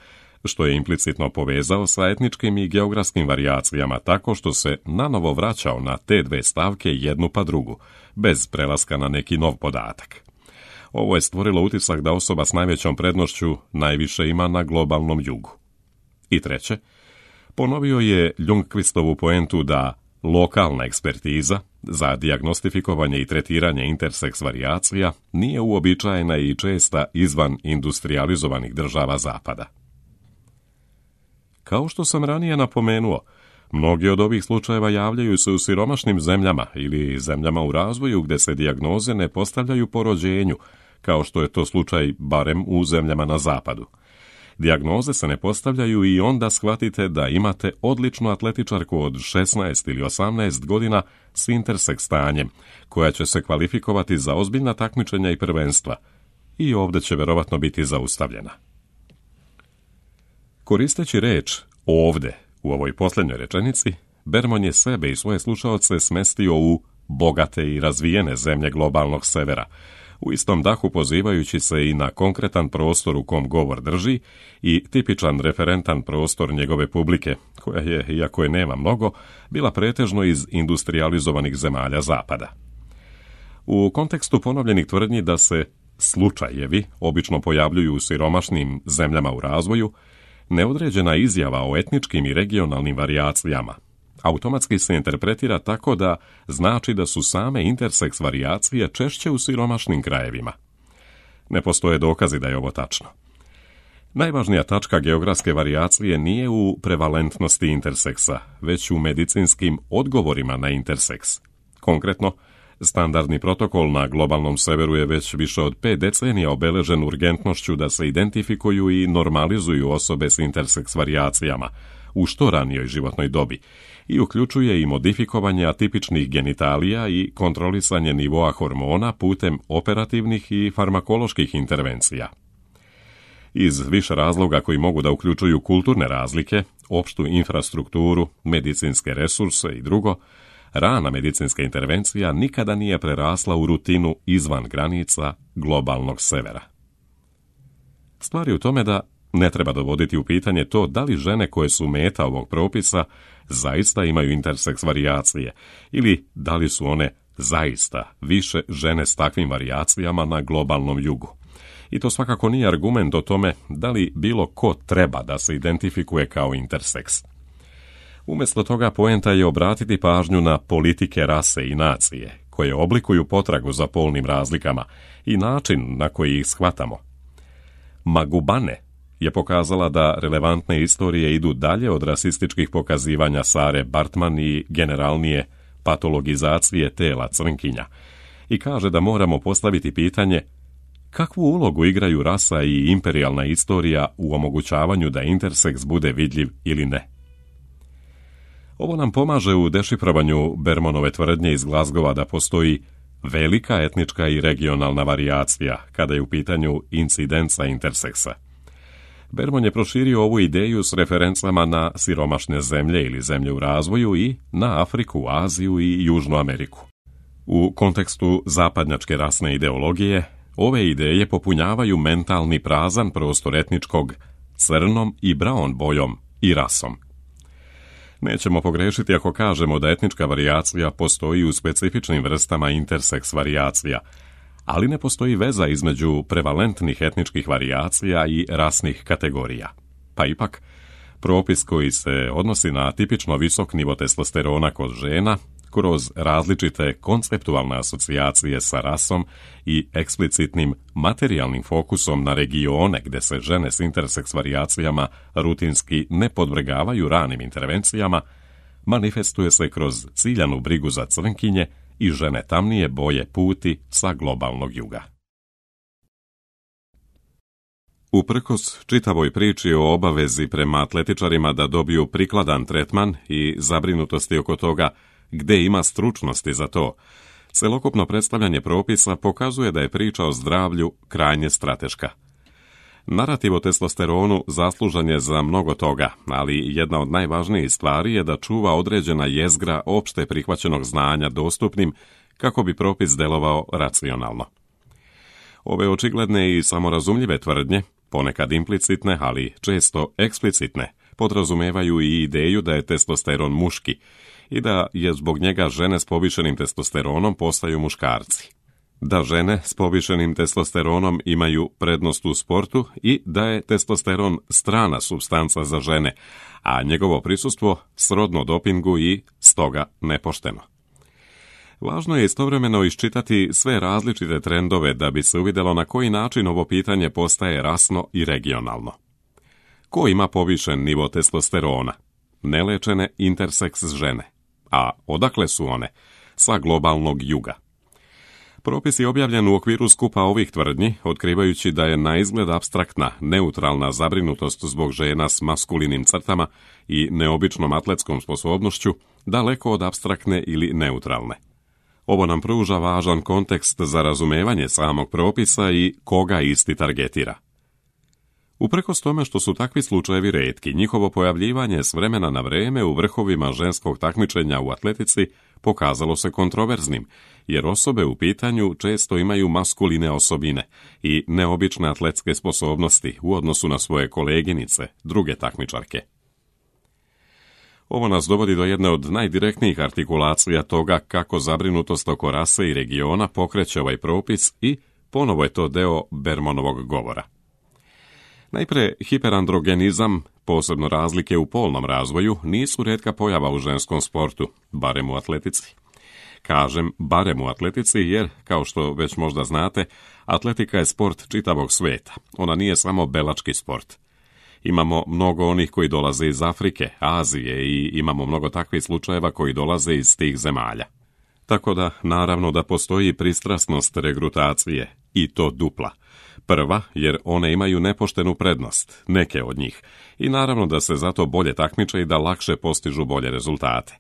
što je implicitno povezao sa etničkim i geografskim varijacijama tako što se nanovo vraćao na te dve stavke jednu pa drugu, bez prelaska na neki nov podatak. Ovo je stvorilo utisak da osoba s najvećom prednošću najviše ima na globalnom jugu. I treće, ponovio je Ljungqvistovu poentu da lokalna ekspertiza za dijagnostifikovanje i tretiranje interseks varijacija nije uobičajena i česta izvan industrializovanih država Zapada. Kao što sam ranije napomenuo, Mnogi od ovih slučajeva javljaju se u siromašnim zemljama ili zemljama u razvoju gdje se dijagnoze ne postavljaju po rođenju, kao što je to slučaj barem u zemljama na zapadu. Dijagnoze se ne postavljaju i onda shvatite da imate odličnu atletičarku od šesnaest ili osamnaest godina s interseks stanjem, koja će se kvalifikovati za ozbiljna takmičenja i prvenstva. I ovdje će verovatno biti zaustavljena. Koristeći reč ovdje u ovoj posljednjoj rečenici, Bermon je sebe i svoje slušaoce smestio u bogate i razvijene zemlje globalnog severa, u istom dahu pozivajući se i na konkretan prostor u kom govor drži i tipičan referentan prostor njegove publike, koja je, iako je nema mnogo, bila pretežno iz industrializovanih zemalja zapada. U kontekstu ponovljenih tvrdnji da se slučajevi obično pojavljuju u siromašnim zemljama u razvoju, neodređena izjava o etničkim i regionalnim varijacijama automatski se interpretira tako da znači da su same interseks varijacije češće u siromašnim krajevima. Ne postoje dokazi da je ovo tačno. Najvažnija tačka geografske varijacije nije u prevalentnosti interseksa, već u medicinskim odgovorima na interseks. Konkretno, standardni protokol na globalnom severu je već više od pet decenija obeležen urgentnošću da se identifikuju i normalizuju osobe s interseks varijacijama u što ranijoj životnoj dobi i uključuje i modifikovanje atipičnih genitalija i kontrolisanje nivoa hormona putem operativnih i farmakoloških intervencija. Iz više razloga koji mogu da uključuju kulturne razlike, opštu infrastrukturu, medicinske resurse i drugo, rana medicinska intervencija nikada nije prerasla u rutinu izvan granica globalnog severa. Stvar je u tome da ne treba dovoditi u pitanje to da li žene koje su meta ovog propisa zaista imaju interseks varijacije ili da li su one zaista više žene s takvim varijacijama na globalnom jugu. I to svakako nije argument o tome da li bilo ko treba da se identifikuje kao interseks. Umjesto toga poenta je obratiti pažnju na politike rase i nacije, koje oblikuju potragu za polnim razlikama i način na koji ih shvatamo. Magubane je pokazala da relevantne istorije idu dalje od rasističkih pokazivanja Sare Bartman i generalnije patologizacije tela crnkinja i kaže da moramo postaviti pitanje kakvu ulogu igraju rasa i imperijalna istorija u omogućavanju da interseks bude vidljiv ili ne. Ovo nam pomaže u dešifrovanju Bermonove tvrdnje iz Glazgova da postoji velika etnička i regionalna varijacija kada je u pitanju incidenca interseksa. Bermon je proširio ovu ideju s referencama na siromašne zemlje ili zemlje u razvoju i na Afriku, Aziju i Južnu Ameriku. U kontekstu zapadnjačke rasne ideologije, ove ideje popunjavaju mentalni prazan prostor etničkog crnom i brown bojom i rasom. Nećemo pogrešiti ako kažemo da etnička varijacija postoji u specifičnim vrstama interseks varijacija, ali ne postoji veza između prevalentnih etničkih varijacija i rasnih kategorija. Pa ipak, propis koji se odnosi na tipično visok nivo testosterona kod žena, kroz različite konceptualne asocijacije sa rasom i eksplicitnim materijalnim fokusom na regione gdje se žene s interseks varijacijama rutinski ne podvrgavaju ranim intervencijama, manifestuje se kroz ciljanu brigu za crnkinje i žene tamnije boje puti sa globalnog juga. Uprkos čitavoj priči o obavezi prema atletičarima da dobiju prikladan tretman i zabrinutosti oko toga gde ima stručnosti za to, celokupno predstavljanje propisa pokazuje da je priča o zdravlju krajnje strateška. Narativ o testosteronu zaslužan je za mnogo toga, ali jedna od najvažnijih stvari je da čuva određena jezgra opšte prihvaćenog znanja dostupnim kako bi propis delovao racionalno. Ove očigledne i samorazumljive tvrdnje, ponekad implicitne, ali često eksplicitne, podrazumevaju i ideju da je testosteron muški i da je zbog njega žene s povišenim testosteronom postaju muškarci, da žene s povišenim testosteronom imaju prednost u sportu i da je testosteron strana supstanca za žene, a njegovo prisustvo srodno dopingu i stoga nepošteno. Važno je istovremeno iščitati sve različite trendove da bi se uvidjelo na koji način ovo pitanje postaje rasno i regionalno. Ko ima povišen nivo testosterona? nelečene interseks žene. A odakle su one? Sa globalnog juga. Propis je objavljen u okviru skupa ovih tvrdnji, otkrivajući da je na izgled apstraktna, neutralna zabrinutost zbog žena s maskulinim crtama i neobičnom atletskom sposobnošću daleko od apstraktne ili neutralne. Ovo nam pruža važan kontekst za razumevanje samog propisa i koga isti targetira. Uprkos tome što su takvi slučajevi retki, njihovo pojavljivanje s vremena na vreme u vrhovima ženskog takmičenja u atletici pokazalo se kontroverznim, jer osobe u pitanju često imaju maskuline osobine i neobične atletske sposobnosti u odnosu na svoje koleginice, druge takmičarke. Ovo nas dovodi do jedne od najdirektnijih artikulacija toga kako zabrinutost oko rase i regiona pokreće ovaj propis i ponovo je to deo Bermanovog govora. Najpre, hiperandrogenizam, posebno razlike u polnom razvoju, nisu rijetka pojava u ženskom sportu, barem u atletici. Kažem barem u atletici jer, kao što već možda znate, atletika je sport čitavog sveta. Ona nije samo belački sport. Imamo mnogo onih koji dolaze iz Afrike, Azije i imamo mnogo takvih slučajeva koji dolaze iz tih zemalja. Tako da, naravno da postoji pristrasnost regrutacije, i to dupla. Prva, jer one imaju nepoštenu prednost, neke od njih, i naravno da se zato bolje takmiče i da lakše postižu bolje rezultate.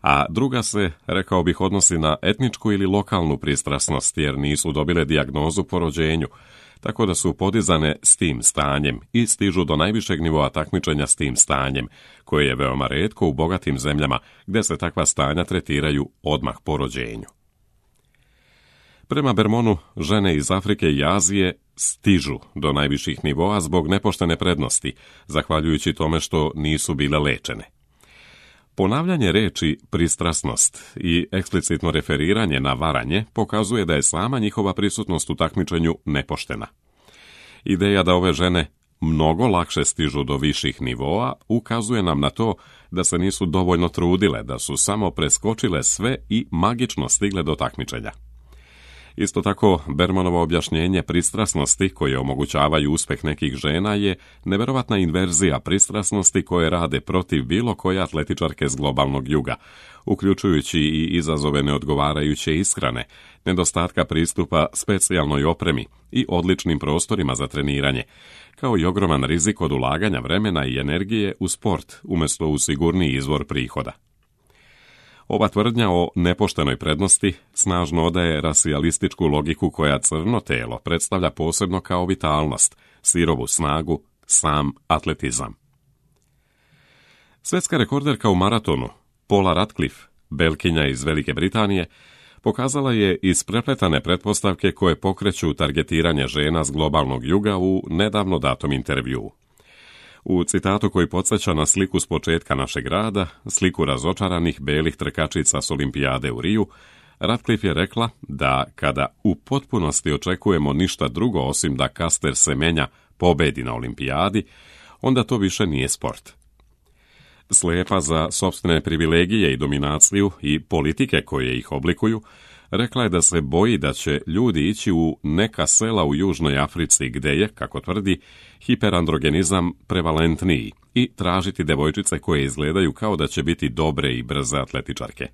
A druga se, rekao bih, odnosi na etničku ili lokalnu pristrasnost, jer nisu dobile dijagnozu po rođenju, tako da su podizane s tim stanjem i stižu do najvišeg nivoa takmičenja s tim stanjem, koje je veoma retko u bogatim zemljama, gdje se takva stanja tretiraju odmah po rođenju. Prema Bermanu, žene iz Afrike i Azije stižu do najviših nivoa zbog nepoštene prednosti, zahvaljujući tome što nisu bile lečene. Ponavljanje reči pristrasnost i eksplicitno referiranje na varanje pokazuje da je sama njihova prisutnost u takmičenju nepoštena. Ideja da ove žene mnogo lakše stižu do viših nivoa ukazuje nam na to da se nisu dovoljno trudile, da su samo preskočile sve i magično stigle do takmičenja. Isto tako, Bermanovo objašnjenje pristrasnosti koje omogućavaju uspjeh nekih žena je neverovatna inverzija pristrasnosti koje rade protiv bilo koje atletičarke s globalnog juga, uključujući i izazove neodgovarajuće ishrane, nedostatka pristupa specijalnoj opremi i odličnim prostorima za treniranje, kao i ogroman rizik od ulaganja vremena i energije u sport umjesto u sigurniji izvor prihoda. Ova tvrdnja o nepoštenoj prednosti snažno odaje rasijalističku logiku koja crno telo predstavlja posebno kao vitalnost, sirovu snagu, sam atletizam. Svjetska rekorderka u maratonu, Paula Radcliffe, Belkinja iz Velike Britanije, pokazala je isprepletane pretpostavke koje pokreću targetiranje žena s globalnog juga u nedavno datom intervjuu. U citatu koji podsjeća na sliku s početka našeg rada, sliku razočaranih belih trkačica s olimpijade u Riju, Radcliffe je rekla da kada u potpunosti očekujemo ništa drugo osim da Caster Semenya pobedi na olimpijadi, onda to više nije sport. Slijepa za sopstvene privilegije i dominaciju i politike koje ih oblikuju, rekla je da se boji da će ljudi ići u neka sela u Južnoj Africi gdje je, kako tvrdi, hiperandrogenizam prevalentniji i tražiti devojčice koje izgledaju kao da će biti dobre i brze atletičarke.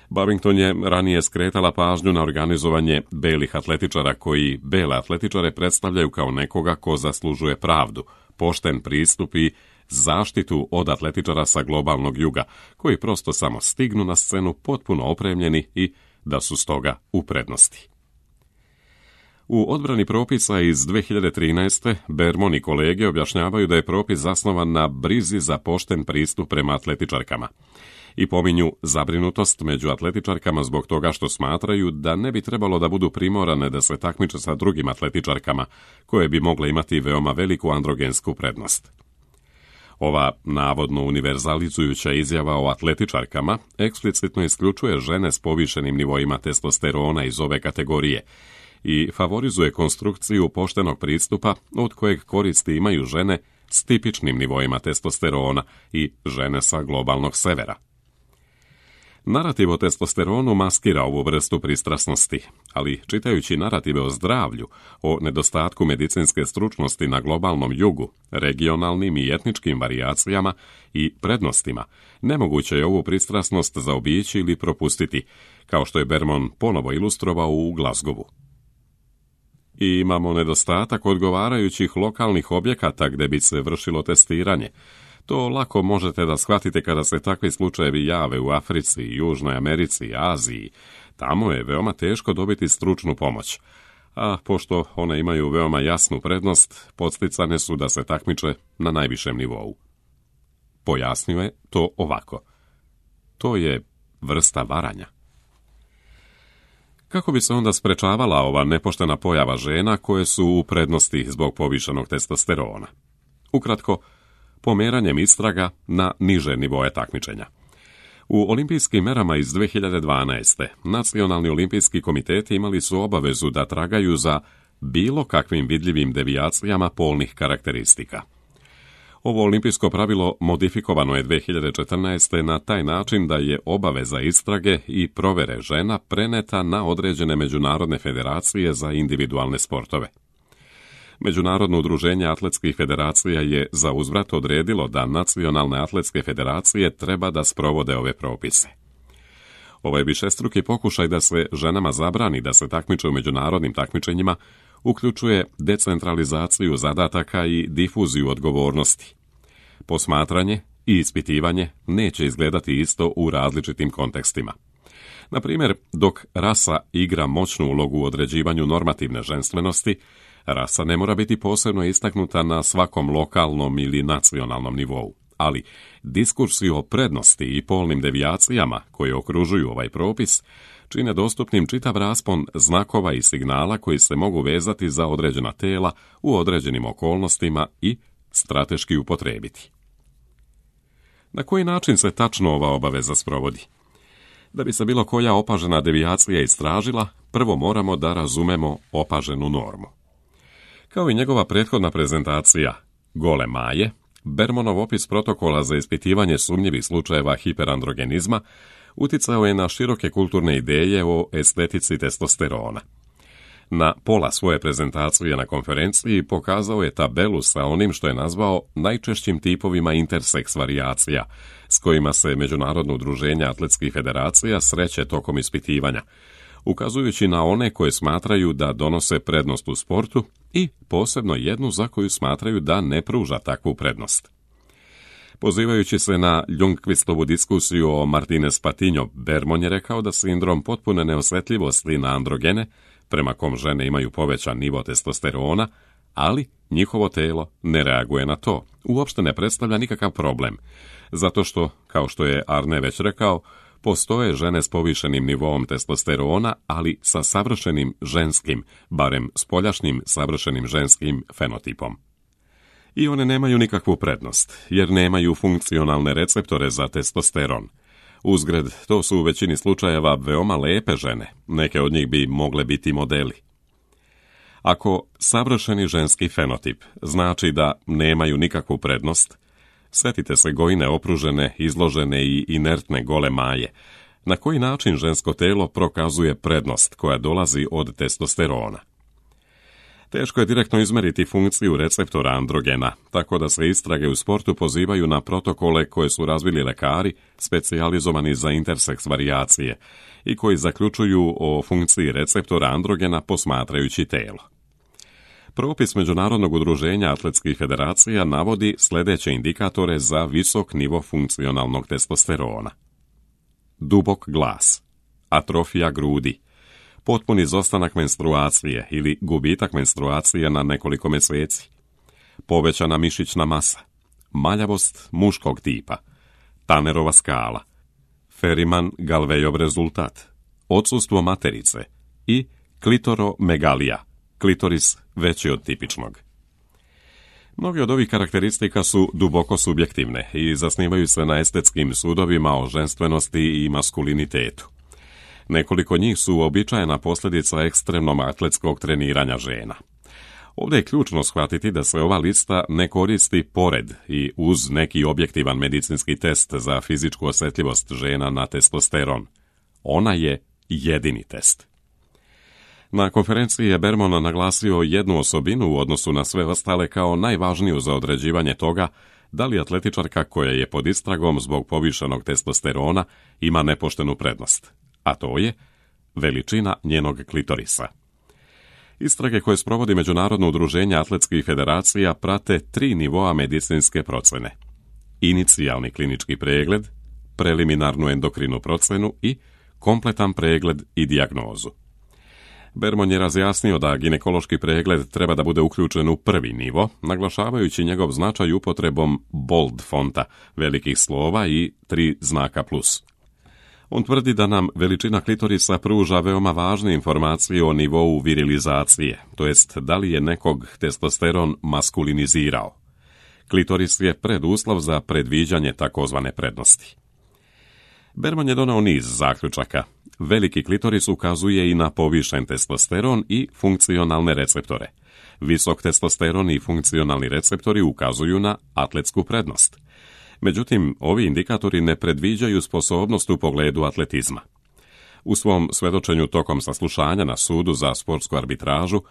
Babington je ranije skretala pažnju na organizovanje belih atletičara koji bele atletičare predstavljaju kao nekoga ko zaslužuje pravdu, pošten pristup i zaštitu od atletičara sa globalnog juga, koji prosto samo stignu na scenu potpuno opremljeni i da su stoga u prednosti. U odbrani propisa iz dvije hiljade trinaeste. Berman i kolege objašnjavaju da je propis zasnovan na brizi za pošten pristup prema atletičarkama i pominju zabrinutost među atletičarkama zbog toga što smatraju da ne bi trebalo da budu primorane da se takmiče sa drugim atletičarkama koje bi mogle imati veoma veliku androgensku prednost. Ova navodno univerzalizujuća izjava o atletičarkama eksplicitno isključuje žene s povišenim nivoima testosterona iz ove kategorije i favorizuje konstrukciju poštenog pristupa od kojeg koristi imaju žene s tipičnim nivoima testosterona i žene sa globalnog severa. Narativ o testosteronu maskira ovu vrstu pristrasnosti, ali čitajući narative o zdravlju, o nedostatku medicinske stručnosti na globalnom jugu, regionalnim i etničkim varijacijama i prednostima, nemoguće je ovu pristrasnost zaobići ili propustiti, kao što je Berman ponovo ilustrovao u Glasgowu. I imamo nedostatak odgovarajućih lokalnih objekata gdje bi se vršilo testiranje. To lako možete da shvatite kada se takvi slučajevi jave u Africi, Južnoj Americi, Aziji. Tamo je veoma teško dobiti stručnu pomoć. A pošto one imaju veoma jasnu prednost, podsticane su da se takmiče na najvišem nivou. Pojasnio je to ovako. To je vrsta varanja. Kako bi se onda sprečavala ova nepoštena pojava žena koje su u prednosti zbog povišenog testosterona? Ukratko, pomeranjem istraga na niže nivoje takmičenja. U olimpijskim merama iz dve hiljade dvanaeste. Nacionalni olimpijski komiteti imali su obavezu da tragaju za bilo kakvim vidljivim devijacijama polnih karakteristika. Ovo olimpijsko pravilo modifikovano je dve hiljade četrnaeste. na taj način da je obaveza istrage i provere žena preneta na određene međunarodne federacije za individualne sportove. Međunarodno udruženje atletskih federacija je za uzvrat odredilo da nacionalne atletske federacije treba da sprovode ove propise. Ovaj višestruki pokušaj da se ženama zabrani da se takmiče u međunarodnim takmičenjima uključuje decentralizaciju zadataka i difuziju odgovornosti. Posmatranje i ispitivanje neće izgledati isto u različitim kontekstima. Na primjer, dok rasa igra moćnu ulogu u određivanju normativne ženstvenosti, rasa ne mora biti posebno istaknuta na svakom lokalnom ili nacionalnom nivou, ali diskursi o prednosti i polnim devijacijama koje okružuju ovaj propis čine dostupnim čitav raspon znakova i signala koji se mogu vezati za određena tela u određenim okolnostima i strateški upotrijebiti. Na koji način se tačno ova obaveza sprovodi? Da bi se bilo koja opažena devijacija istražila, prvo moramo da razumemo opaženu normu. Kao i njegova prethodna prezentacija Gole Maje, Bermanov opis protokola za ispitivanje sumnjivih slučajeva hiperandrogenizma uticao je na široke kulturne ideje o estetici testosterona. Na pola svoje prezentacije na konferenciji pokazao je tabelu sa onim što je nazvao najčešćim tipovima interseks varijacija, s kojima se Međunarodno udruženje atletskih federacija sreće tokom ispitivanja, ukazujući na one koje smatraju da donose prednost u sportu i posebno jednu za koju smatraju da ne pruža takvu prednost. Pozivajući se na Ljungqvistovu diskusiju o Martinez Patiño, Berman je rekao da sindrom potpune neosjetljivosti na androgene, prema kom žene imaju povećan nivo testosterona, ali njihovo telo ne reaguje na to, uopšte ne predstavlja nikakav problem, zato što, kao što je Arne već rekao, postoje žene s povišenim nivoom testosterona, ali sa savršenim ženskim, barem spoljašnjim savršenim ženskim fenotipom. I one nemaju nikakvu prednost, jer nemaju funkcionalne receptore za testosteron. Uzgred, to su u većini slučajeva veoma lepe žene, neke od njih bi mogle biti modeli. Ako savršeni ženski fenotip znači da nemaju nikakvu prednost, sjetite se Gojine opružene, izložene i inertne Gole Maje. Na koji način žensko telo prokazuje prednost koja dolazi od testosterona? Teško je direktno izmeriti funkciju receptora androgena, tako da se istrage u sportu pozivaju na protokole koje su razvili lekari specijalizovani za interseks varijacije i koji zaključuju o funkciji receptora androgena posmatrajući telo. Propis Međunarodnog udruženja atletskih federacija navodi sljedeće indikatore za visok nivo funkcionalnog testosterona. Dubok glas, atrofija grudi, potpuni izostanak menstruacije ili gubitak menstruacije na nekoliko mjeseci, povećana mišićna masa, maljavost muškog tipa, Tannerova skala, Ferriman-Galvejov rezultat, odsustvo materice i klitoromegalija, klitoris veći od tipičnog. Mnogi od ovih karakteristika su duboko subjektivne i zasnivaju se na estetskim sudovima o ženstvenosti i maskulinitetu. Nekoliko njih su uobičajena posljedica ekstremnog atletskog treniranja žena. Ovdje je ključno shvatiti da se ova lista ne koristi pored i uz neki objektivan medicinski test za fizičku osjetljivost žena na testosteron. Ona je jedini test. Na konferenciji je Berman naglasio jednu osobinu u odnosu na sve ostale kao najvažniju za određivanje toga da li atletičarka koja je pod istragom zbog povišenog testosterona ima nepoštenu prednost, a to je veličina njenog klitorisa. Istrage koje sprovodi Međunarodno udruženje atletskih federacija prate tri nivoa medicinske procjene: inicijalni klinički pregled, preliminarnu endokrinu procjenu i kompletan pregled i dijagnozu. Berman je razjasnio da ginekološki pregled treba da bude uključen u prvi nivo, naglašavajući njegov značaj upotrebom bold fonta, velikih slova i tri znaka plus. On tvrdi da nam veličina klitorisa pruža veoma važne informacije o nivou virilizacije, to jest da li je nekog testosteron maskulinizirao. Klitoris je preduslov za predviđanje takozvane prednosti. Berman je donao niz zaključaka. Veliki klitoris ukazuje i na povišen testosteron i funkcionalne receptore. Visok testosteron i funkcionalni receptori ukazuju na atletsku prednost. Međutim, ovi indikatori ne predviđaju sposobnost u pogledu atletizma. U svom svedočenju tokom saslušanja na sudu za sportsku arbitražu,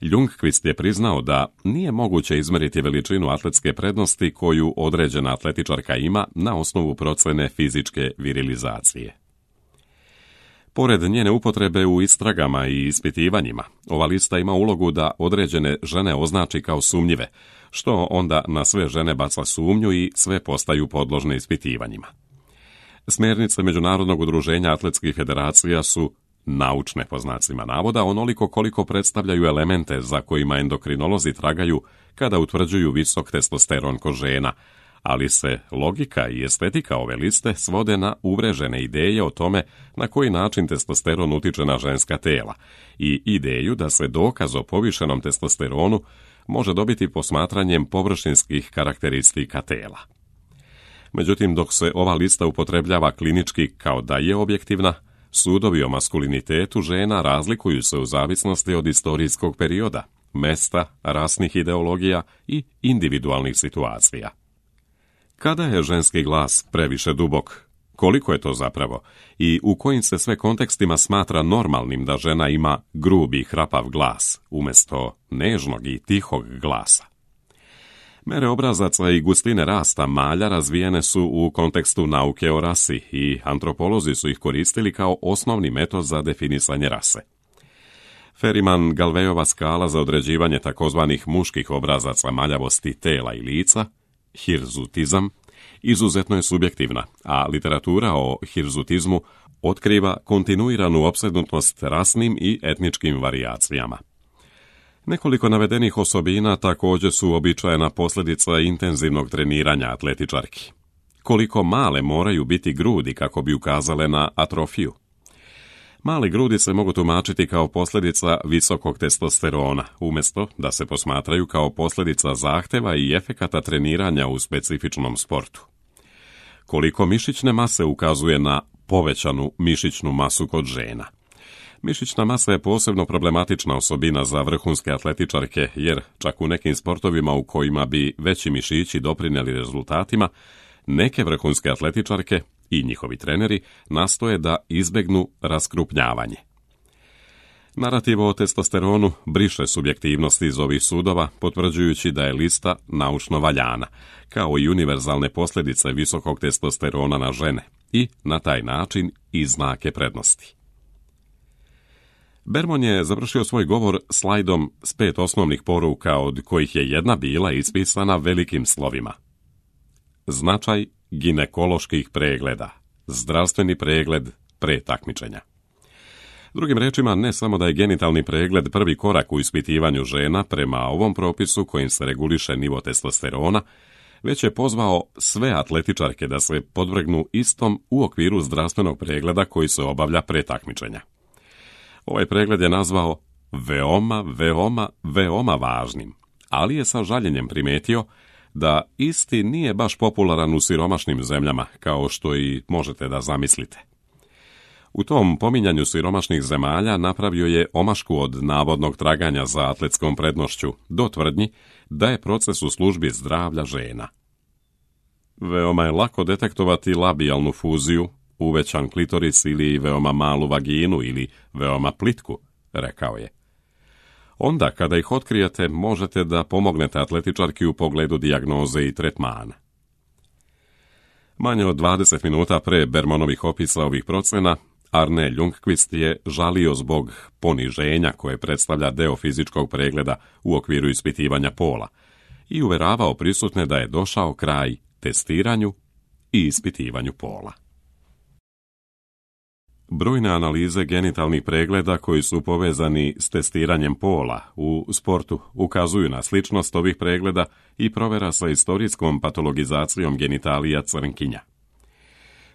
Ljungqvist je priznao da nije moguće izmeriti veličinu atletske prednosti koju određena atletičarka ima na osnovu procjene fizičke virilizacije. Pored njene upotrebe u istragama i ispitivanjima, ova lista ima ulogu da određene žene označi kao sumnjive, što onda na sve žene baca sumnju i sve postaju podložne ispitivanjima. Smjernice Međunarodnog udruženja atletskih federacija su naučne po znacima navoda onoliko koliko predstavljaju elemente za kojima endokrinolozi tragaju kada utvrđuju visok testosteron kod žena, ali se logika i estetika ove liste svode na uvrežene ideje o tome na koji način testosteron utiče na ženska tela i ideju da se dokaz o povišenom testosteronu može dobiti posmatranjem površinskih karakteristika tela. Međutim, dok se ova lista upotrebljava klinički kao da je objektivna, sudovi o maskulinitetu žena razlikuju se u zavisnosti od istorijskog perioda, mesta, rasnih ideologija i individualnih situacija. Kada je ženski glas previše dubok? Koliko je to zapravo? I u kojim se sve kontekstima smatra normalnim da žena ima grubi i hrapav glas, umjesto nežnog i tihog glasa? Mere obrazaca i gustine rasta malja razvijene su u kontekstu nauke o rasi i antropolozi su ih koristili kao osnovni metod za definisanje rase. Ferriman-Galvejova skala za određivanje takozvanih muških obrazaca maljavosti tela i lica, hirzutizam, izuzetno je subjektivna, a literatura o hirzutizmu otkriva kontinuiranu opsednutost rasnim i etničkim varijacijama. Nekoliko navedenih osobina također su uobičajena posljedica intenzivnog treniranja atletičarki. Koliko male moraju biti grudi kako bi ukazale na atrofiju? Mali grudi se mogu tumačiti kao posljedica visokog testosterona, umjesto da se posmatraju kao posljedica zahtjeva i efekata treniranja u specifičnom sportu. Koliko mišićne mase ukazuje na povećanu mišićnu masu kod žena? Mišićna masa je posebno problematična osobina za vrhunske atletičarke, jer čak u nekim sportovima u kojima bi veći mišići doprinijeli rezultatima, neke vrhunske atletičarke i njihovi treneri nastoje da izbegnu raskrupnjavanje. Narativ o testosteronu briše subjektivnost iz ovih sudova, potvrđujući da je lista naučno valjana, kao i univerzalne posljedice visokog testosterona na žene i na taj način i znake prednosti. Berman je završio svoj govor slajdom s pet osnovnih poruka, od kojih je jedna bila ispisana velikim slovima. Značaj ginekoloških pregleda. Zdravstveni pregled pre takmičenja. Drugim rečima, ne samo da je genitalni pregled prvi korak u ispitivanju žena prema ovom propisu kojim se reguliše nivo testosterona, već je pozvao sve atletičarke da se podvrgnu istom u okviru zdravstvenog pregleda koji se obavlja pre takmičenja. Ovaj pregled je nazvao veoma, veoma, veoma važnim, ali je sa žaljenjem primetio da isti nije baš popularan u siromašnim zemljama, kao što i možete da zamislite. U tom pominjanju siromašnih zemalja napravio je omašku od navodnog traganja za atletskom prednošću do tvrdnji da je proces u službi zdravlja žena. Veoma je lako detektovati labijalnu fuziju, uvećan klitoris ili veoma malu vaginu ili veoma plitku, rekao je. Onda kada ih otkrijete, možete da pomognete atletičarki u pogledu dijagnoze i tretmana. Manje od dvadeset minuta pre Bermanovih opisa ovih procena, Arne Ljungqvist je žalio zbog poniženja koje predstavlja deo fizičkog pregleda u okviru ispitivanja pola i uveravao prisutne da je došao kraj testiranju i ispitivanju pola. Brojne analize genitalnih pregleda koji su povezani s testiranjem pola u sportu ukazuju na sličnost ovih pregleda i provera sa istorijskom patologizacijom genitalija crnkinja.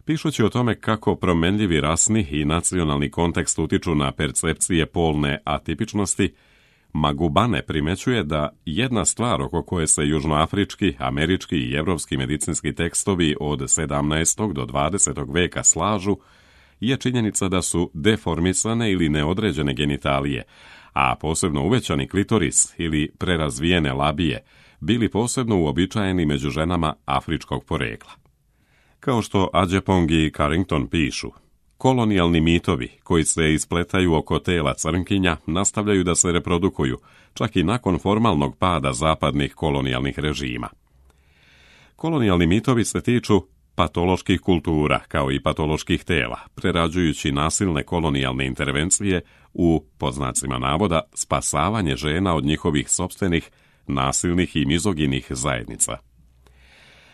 Pišući o tome kako promenljivi rasni i nacionalni kontekst utiču na percepcije polne atipičnosti, Magubane primećuje da jedna stvar oko koje se južnoafrički, američki i evropski medicinski tekstovi od sedamnaestog do dvadesetog veka slažu je činjenica da su deformisane ili neodređene genitalije, a posebno uvećani klitoris ili prerazvijene labije, bili posebno uobičajeni među ženama afričkog porekla. Kao što Adjepong i Carrington pišu, kolonijalni mitovi koji se ispletaju oko tela crnkinja nastavljaju da se reprodukuju, čak i nakon formalnog pada zapadnih kolonijalnih režima. Kolonijalni mitovi se tiču patoloških kultura, kao i patoloških tela, prerađujući nasilne kolonijalne intervencije u, po znacima navoda, spasavanje žena od njihovih sopstvenih, nasilnih i mizoginih zajednica.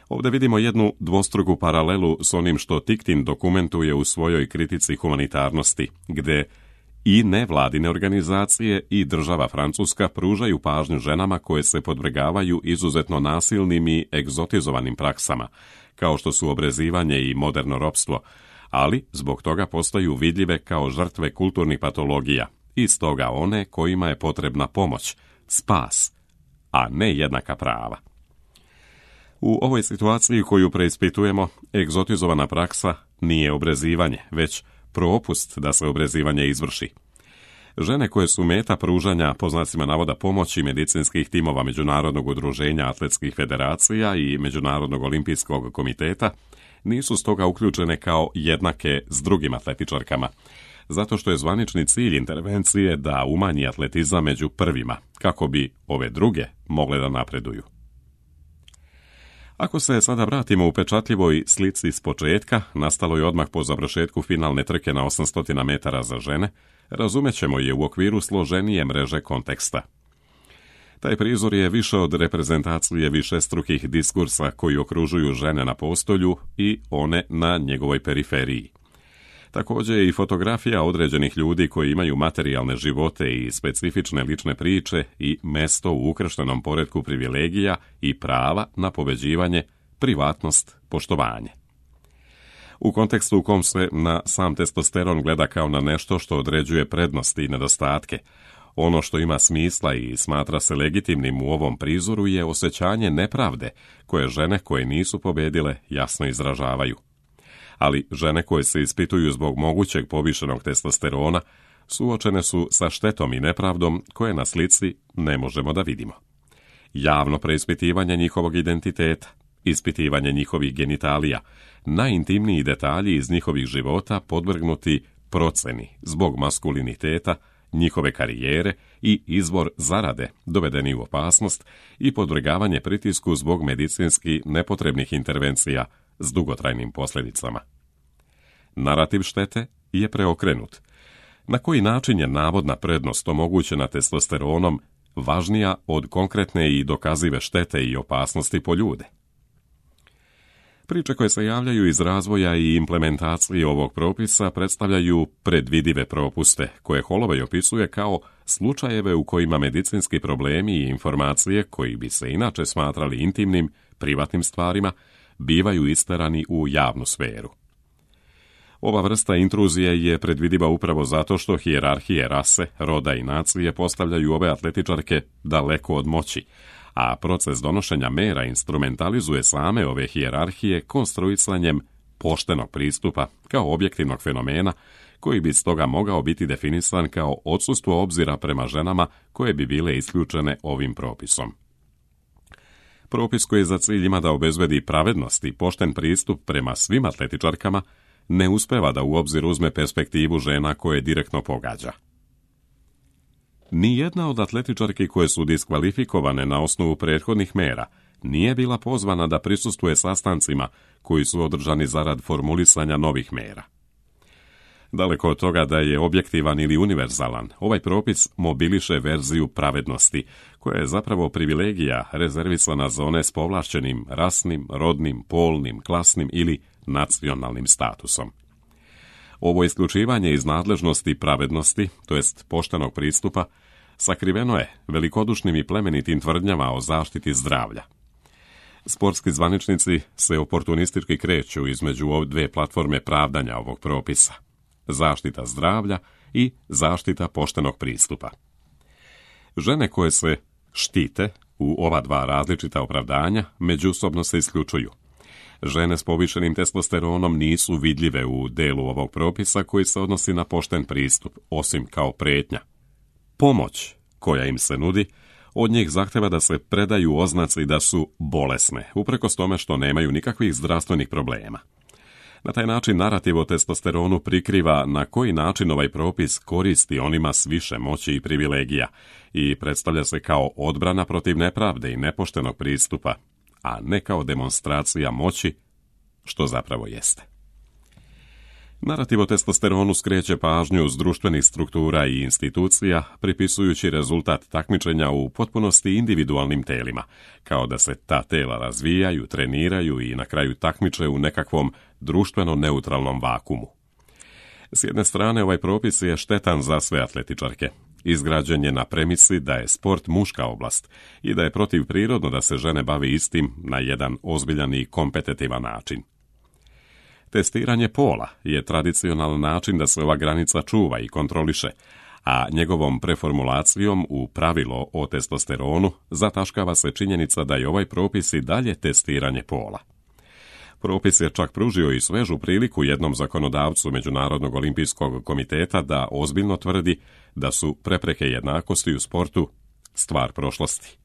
Ovdje vidimo jednu dvostruku paralelu s onim što Ticktin dokumentuje u svojoj kritici humanitarnosti, gde i nevladine organizacije i država Francuska pružaju pažnju ženama koje se podvrgavaju izuzetno nasilnim i egzotizovanim praksama, kao što su obrezivanje i moderno ropstvo, ali zbog toga postaju vidljive kao žrtve kulturnih patologija i stoga one kojima je potrebna pomoć, spas, a ne jednaka prava. U ovoj situaciji koju preispitujemo, egzotizovana praksa nije obrezivanje, već propust da se obrezivanje izvrši. Žene koje su meta pružanja, po znacima navoda, pomoći medicinskih timova Međunarodnog udruženja atletskih federacija i Međunarodnog olimpijskog komiteta, nisu stoga uključene kao jednake s drugim atletičarkama, zato što je zvanični cilj intervencije da umanji atletizam među prvima, kako bi ove druge mogle da napreduju. Ako se sada vratimo u pečatljivoj slici s početka, nastaloj odmah po završetku finalne trke na osamsto metara za žene, razumećemo je u okviru složenije mreže konteksta. Taj prizor je više od reprezentacije višestrukih diskursa koji okružuju žene na postolju i one na njegovoj periferiji. Također je i fotografija određenih ljudi koji imaju materijalne živote i specifične lične priče i mesto u ukrštenom poretku privilegija i prava na pobeđivanje, privatnost, poštovanje. U kontekstu u kom se na sam testosteron gleda kao na nešto što određuje prednosti i nedostatke, ono što ima smisla i smatra se legitimnim u ovom prizoru je osjećanje nepravde koje žene koje nisu pobedile jasno izražavaju. Ali žene koje se ispituju zbog mogućeg povišenog testosterona suočene su sa štetom i nepravdom koje na slici ne možemo da vidimo. Javno preispitivanje njihovog identiteta, ispitivanje njihovih genitalija, najintimniji detalji iz njihovih života podvrgnuti proceni zbog maskuliniteta, njihove karijere i izvor zarade dovedeni u opasnost i podvrgavanje pritisku zbog medicinski nepotrebnih intervencija s dugotrajnim posljedicama. Narativ štete je preokrenut. Na koji način je navodna prednost omogućena testosteronom važnija od konkretne i dokazive štete i opasnosti po ljude? Priče koje se javljaju iz razvoja i implementacije ovog propisa predstavljaju predvidive propuste, koje Holloway opisuje kao slučajeve u kojima medicinski problemi i informacije koji bi se inače smatrali intimnim, privatnim stvarima, bivaju isterani u javnu sferu. Ova vrsta intruzije je predvidiva upravo zato što hijerarhije rase, roda i nacije postavljaju ove atletičarke daleko od moći, a proces donošenja mera instrumentalizuje same ove hijerarhije konstruisanjem poštenog pristupa kao objektivnog fenomena koji bi stoga mogao biti definisan kao odsustvo obzira prema ženama koje bi bile isključene ovim propisom. Propis koji za cilj ima da obezbedi pravednost i pošten pristup prema svim atletičarkama ne uspeva da u obzir uzme perspektivu žena koje direktno pogađa. Nijedna od atletičarki koje su diskvalifikovane na osnovu prethodnih mera nije bila pozvana da prisustvuje sastancima koji su održani zarad formulisanja novih mera. Daleko od toga da je objektivan ili univerzalan, ovaj propis mobiliše verziju pravednosti, koja je zapravo privilegija rezervisana za one s povlašćenim rasnim, rodnim, polnim, klasnim ili nacionalnim statusom. Ovo isključivanje iz nadležnosti pravednosti, to jest poštenog pristupa, sakriveno je velikodušnim i plemenitim tvrdnjama o zaštiti zdravlja. Sportski zvaničnici se oportunistički kreću između ove dve platforme pravdanja ovog propisa: zaštita zdravlja i zaštita poštenog pristupa. Žene koje se štite u ova dva različita opravdanja međusobno se isključuju. Žene s povišenim testosteronom nisu vidljive u delu ovog propisa koji se odnosi na pošten pristup, osim kao prijetnja. Pomoć koja im se nudi od njih zahteva da se predaju oznaci da su bolesne, uprkos tome što nemaju nikakvih zdravstvenih problema. Na taj način narativ o testosteronu prikriva na koji način ovaj propis koristi onima s više moći i privilegija i predstavlja se kao odbrana protiv nepravde i nepoštenog pristupa, a ne kao demonstracija moći, što zapravo jeste. Narativ o testosteronu skreće pažnju s društvenih struktura i institucija, pripisujući rezultat takmičenja u potpunosti individualnim telima, kao da se ta tela razvijaju, treniraju i na kraju takmiče u nekakvom društveno neutralnom vakumu. S jedne strane, ovaj propis je štetan za sve atletičarke. Izgrađen je na premisi da je sport muška oblast i da je protivprirodno da se žene bave istim na jedan ozbiljan i kompetitivan način. Testiranje pola je tradicionalan način da se ova granica čuva i kontroliše, a njegovom preformulacijom u pravilo o testosteronu zataškava se činjenica da je ovaj propis i dalje testiranje pola. Propis je čak pružio i svežu priliku jednom zakonodavcu Međunarodnog olimpijskog komiteta da ozbiljno tvrdi da su prepreke jednakosti u sportu stvar prošlosti.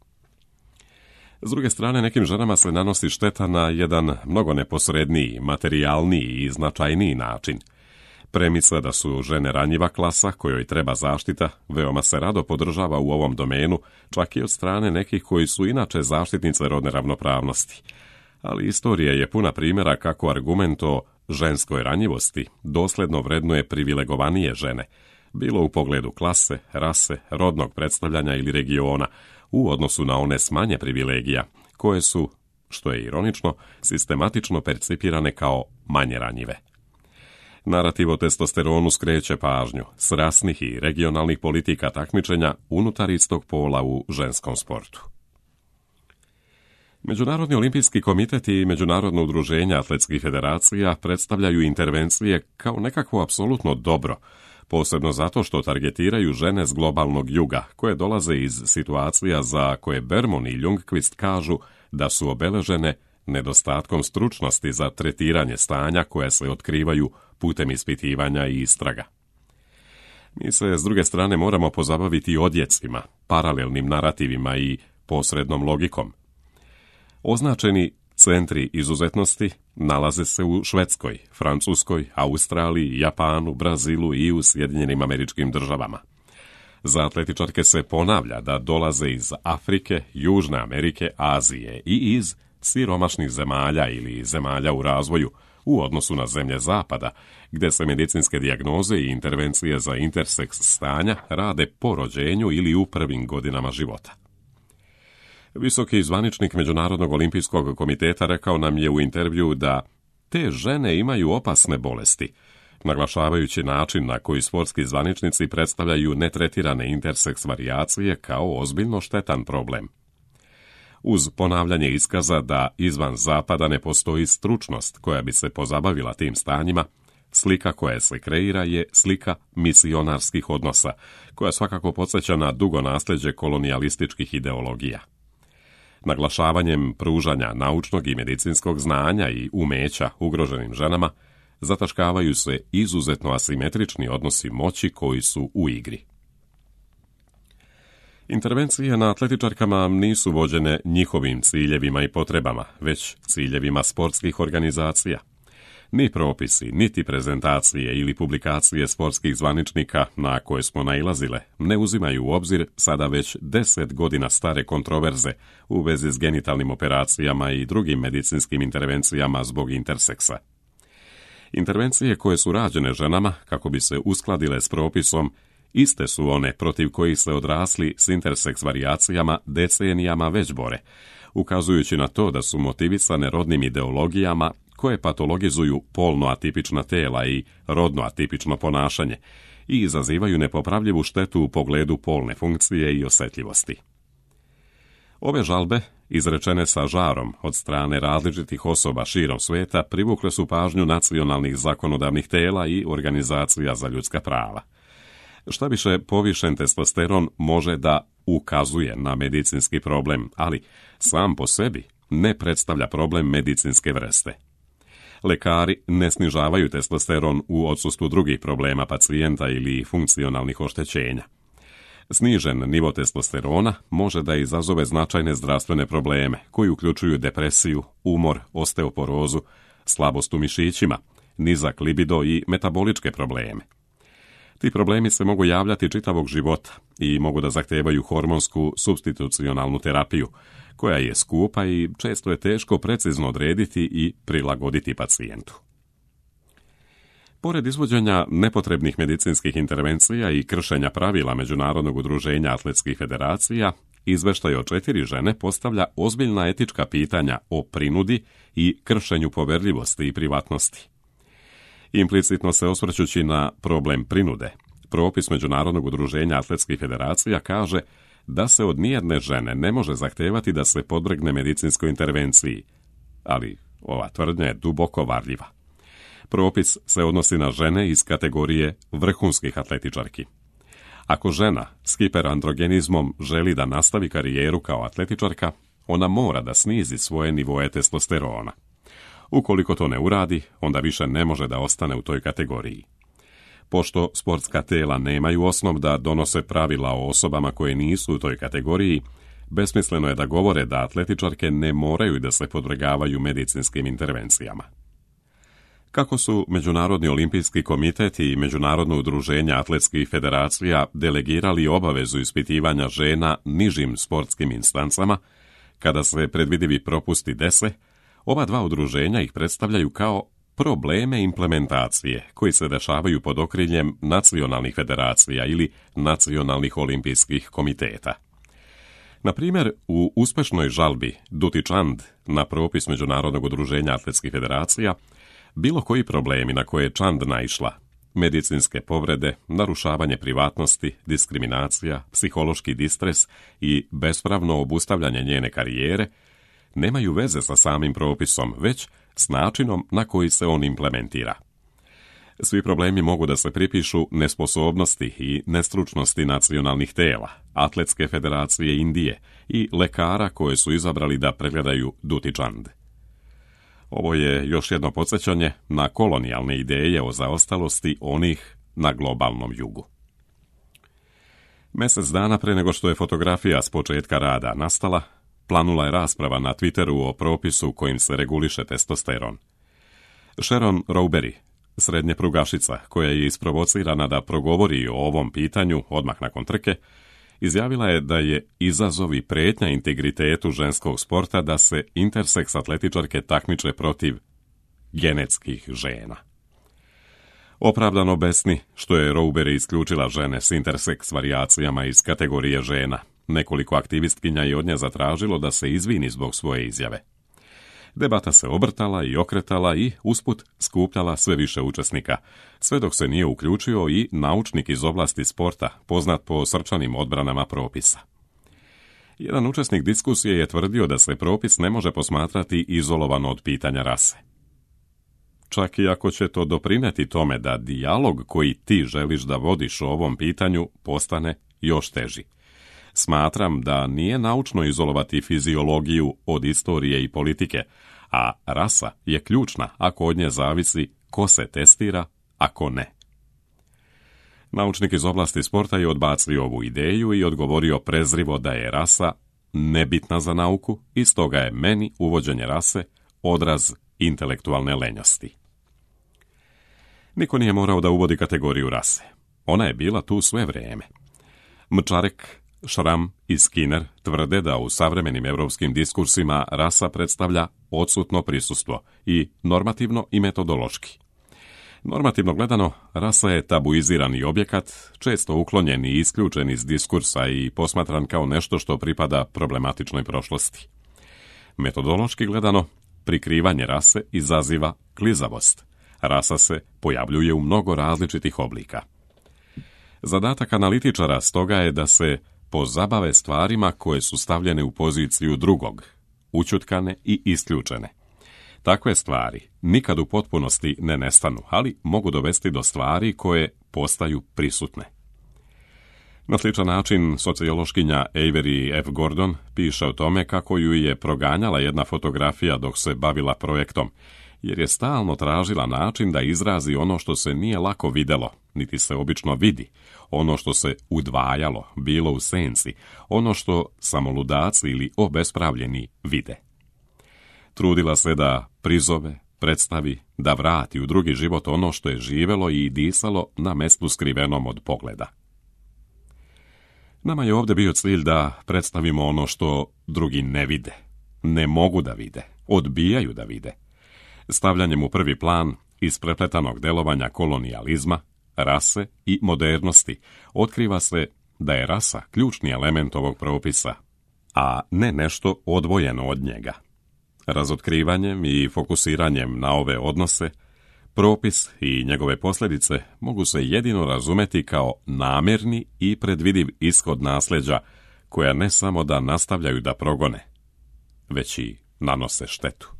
S druge strane, nekim ženama se nanosi šteta na jedan mnogo neposredniji, materijalniji i značajniji način. Premisa da su žene ranjiva klasa kojoj treba zaštita veoma se rado podržava u ovom domenu, čak i od strane nekih koji su inače zaštitnice rodne ravnopravnosti. Ali istorija je puna primjera kako argument o ženskoj ranjivosti dosledno vrednuje privilegovanije žene, bilo u pogledu klase, rase, rodnog predstavljanja ili regiona, u odnosu na one s manje privilegija, koje su, što je ironično, sistematično percipirane kao manje ranjive. Narativ o testosteronu skreće pažnju s rasnih i regionalnih politika takmičenja unutar istog pola u ženskom sportu. Međunarodni olimpijski komitet i Međunarodno udruženje atletskih federacija predstavljaju intervencije kao nekakvo apsolutno dobro, posebno zato što targetiraju žene s globalnog juga, koje dolaze iz situacija za koje Berman i Ljungqvist kažu da su obeležene nedostatkom stručnosti za tretiranje stanja koje se otkrivaju putem ispitivanja i istraga. Mi se, s druge strane, moramo pozabaviti odjecima, paralelnim narativima i posrednom logikom. Označeni centri izuzetnosti nalaze se u Švedskoj, Francuskoj, Australiji, Japanu, Brazilu i u Sjedinjenim Američkim Državama. Za atletičarke se ponavlja da dolaze iz Afrike, Južne Amerike, Azije i iz siromašnih zemalja ili zemalja u razvoju u odnosu na zemlje Zapada, gdje se medicinske dijagnoze i intervencije za interseks stanja rade po rođenju ili u prvim godinama života. Visoki zvaničnik Međunarodnog olimpijskog komiteta rekao nam je u intervju da te žene imaju opasne bolesti, naglašavajući način na koji sportski zvaničnici predstavljaju netretirane interseks varijacije kao ozbiljno štetan problem. Uz ponavljanje iskaza da izvan Zapada ne postoji stručnost koja bi se pozabavila tim stanjima, slika koja se kreira je slika misionarskih odnosa, koja svakako podsjeća na dugo nasljeđe kolonijalističkih ideologija. Naglašavanjem pružanja naučnog i medicinskog znanja i umeća ugroženim ženama, zataškavaju se izuzetno asimetrični odnosi moći koji su u igri. Intervencije na atletičarkama nisu vođene njihovim ciljevima i potrebama, već ciljevima sportskih organizacija. Ni propisi, niti prezentacije ili publikacije sportskih zvaničnika na koje smo nailazile ne uzimaju u obzir sada već deset godina stare kontroverze u vezi s genitalnim operacijama i drugim medicinskim intervencijama zbog interseksa. Intervencije koje su rađene ženama kako bi se uskladile s propisom iste su one protiv kojih se odrasli s interseks varijacijama decenijama već bore, ukazujući na to da su motivisane rodnim ideologijama koje patologizuju polno atipična tela i rodno atipično ponašanje i izazivaju nepopravljivu štetu u pogledu polne funkcije i osjetljivosti. Ove žalbe, izrečene sa žarom od strane različitih osoba širom sveta, privukle su pažnju nacionalnih zakonodavnih tela i organizacija za ljudska prava. Šta više, povišen testosteron može da ukazuje na medicinski problem, ali sam po sebi ne predstavlja problem medicinske vrste. Lekari ne snižavaju testosteron u odsustvu drugih problema pacijenta ili funkcionalnih oštećenja. Snižen nivo testosterona može da izazove značajne zdravstvene probleme koji uključuju depresiju, umor, osteoporozu, slabost u mišićima, nizak libido i metaboličke probleme. Ti problemi se mogu javljati čitavog života i mogu da zahtevaju hormonsku supstitucionalnu terapiju, koja je skupa i često je teško precizno odrediti i prilagoditi pacijentu. Pored izvođenja nepotrebnih medicinskih intervencija i kršenja pravila Međunarodnog udruženja atletskih federacija, izveštaj o četiri žene postavlja ozbiljna etička pitanja o prinudi i kršenju poverljivosti i privatnosti. Implicitno se osvrćući na problem prinude, propis Međunarodnog udruženja atletskih federacija kaže da se od nijedne žene ne može zahtevati da se podvrgne medicinskoj intervenciji, ali ova tvrdnja je duboko varljiva. Propis se odnosi na žene iz kategorije vrhunskih atletičarki. Ako žena s hiperandrogenizmom želi da nastavi karijeru kao atletičarka, ona mora da snizi svoje nivoe testosterona. Ukoliko to ne uradi, onda više ne može da ostane u toj kategoriji. Pošto sportska tela nemaju osnov da donose pravila o osobama koje nisu u toj kategoriji, besmisleno je da govore da atletičarke ne moraju da se podvrgavaju medicinskim intervencijama. Kako su Međunarodni olimpijski komitet i Međunarodno udruženje atletskih federacija delegirali obavezu ispitivanja žena nižim sportskim instancama, kada se predvidivi propusti dese, ova dva udruženja ih predstavljaju kao probleme implementacije koji se dešavaju pod okriljem nacionalnih federacija ili nacionalnih olimpijskih komiteta. Na primjer, u uspešnoj žalbi Duty Chand na propis Međunarodnog udruženja atletskih federacija, bilo koji problemi na koje je Chand naišla, medicinske povrede, narušavanje privatnosti, diskriminacija, psihološki distres i bespravno obustavljanje njene karijere, nemaju veze sa samim propisom, već s načinom na koji se on implementira. Svi problemi mogu da se pripišu nesposobnosti i nestručnosti nacionalnih tela, Atletske federacije Indije i lekara koje su izabrali da pregledaju Duty Chand. Ovo je još jedno podsjećanje na kolonijalne ideje o zaostalosti onih na globalnom jugu. Mjesec dana pre nego što je fotografija s početka rada nastala, planula je rasprava na Twitteru o propisu kojim se reguliše testosteron. Sharon Rowberry, srednje prugašica koja je isprovocirana da progovori o ovom pitanju odmah nakon trke, izjavila je da je izazov i prijetnja integritetu ženskog sporta da se interseks atletičarke takmiče protiv genetskih žena. Opravdano besni što je Rowberry isključila žene s interseks varijacijama iz kategorije žena. Nekoliko aktivistkinja je od nje zatražilo da se izvini zbog svoje izjave. Debata se obrtala i okretala i usput skupljala sve više učesnika, sve dok se nije uključio i naučnik iz oblasti sporta, poznat po srčanim odbranama propisa. Jedan učesnik diskusije je tvrdio da se propis ne može posmatrati izolovano od pitanja rase. Čak i ako će to doprineti tome da dijalog koji ti želiš da vodiš o ovom pitanju postane još teži. Smatram da nije naučno izolovati fiziologiju od istorije i politike, a rasa je ključna ako od nje zavisi ko se testira, a ko ne. Naučnik iz oblasti sporta je odbacio ovu ideju i odgovorio prezrivo da je rasa nebitna za nauku i stoga je meni uvođenje rase odraz intelektualne lenjosti. Niko nije morao da uvodi kategoriju rase. Ona je bila tu sve vrijeme. Mčarek, Šram i Skinner tvrde da u savremenim europskim diskursima rasa predstavlja odsutno prisustvo i normativno i metodološki. Normativno gledano, rasa je tabuizirani objekat, često uklonjen i isključen iz diskursa i posmatran kao nešto što pripada problematičnoj prošlosti. Metodološki gledano, prikrivanje rase izaziva klizavost. Rasa se pojavljuje u mnogo različitih oblika. Zadatak analitičara stoga je da se pozabave stvarima koje su stavljene u poziciju drugog, ućutkane i isključene. Takve stvari nikad u potpunosti ne nestanu, ali mogu dovesti do stvari koje postaju prisutne. Na sličan način sociološkinja Avery F. Gordon piše o tome kako ju je proganjala jedna fotografija dok se bavila projektom, jer je stalno tražila način da izrazi ono što se nije lako videlo, niti se obično vidi, ono što se udvajalo, bilo u senci, ono što samo ludaci ili obespravljeni vide. Trudila se da prizove, predstavi, da vrati u drugi život ono što je živelo i disalo na mestu skrivenom od pogleda. Nama je ovdje bio cilj da predstavimo ono što drugi ne vide, ne mogu da vide, odbijaju da vide. Stavljanjem u prvi plan isprepletanog delovanja kolonijalizma, rase i modernosti otkriva se da je rasa ključni element ovog propisa, a ne nešto odvojeno od njega. Razotkrivanjem i fokusiranjem na ove odnose, propis i njegove posljedice mogu se jedino razumeti kao namjerni i predvidiv ishod nasljeđa koja ne samo da nastavljaju da progone, već i nanose štetu.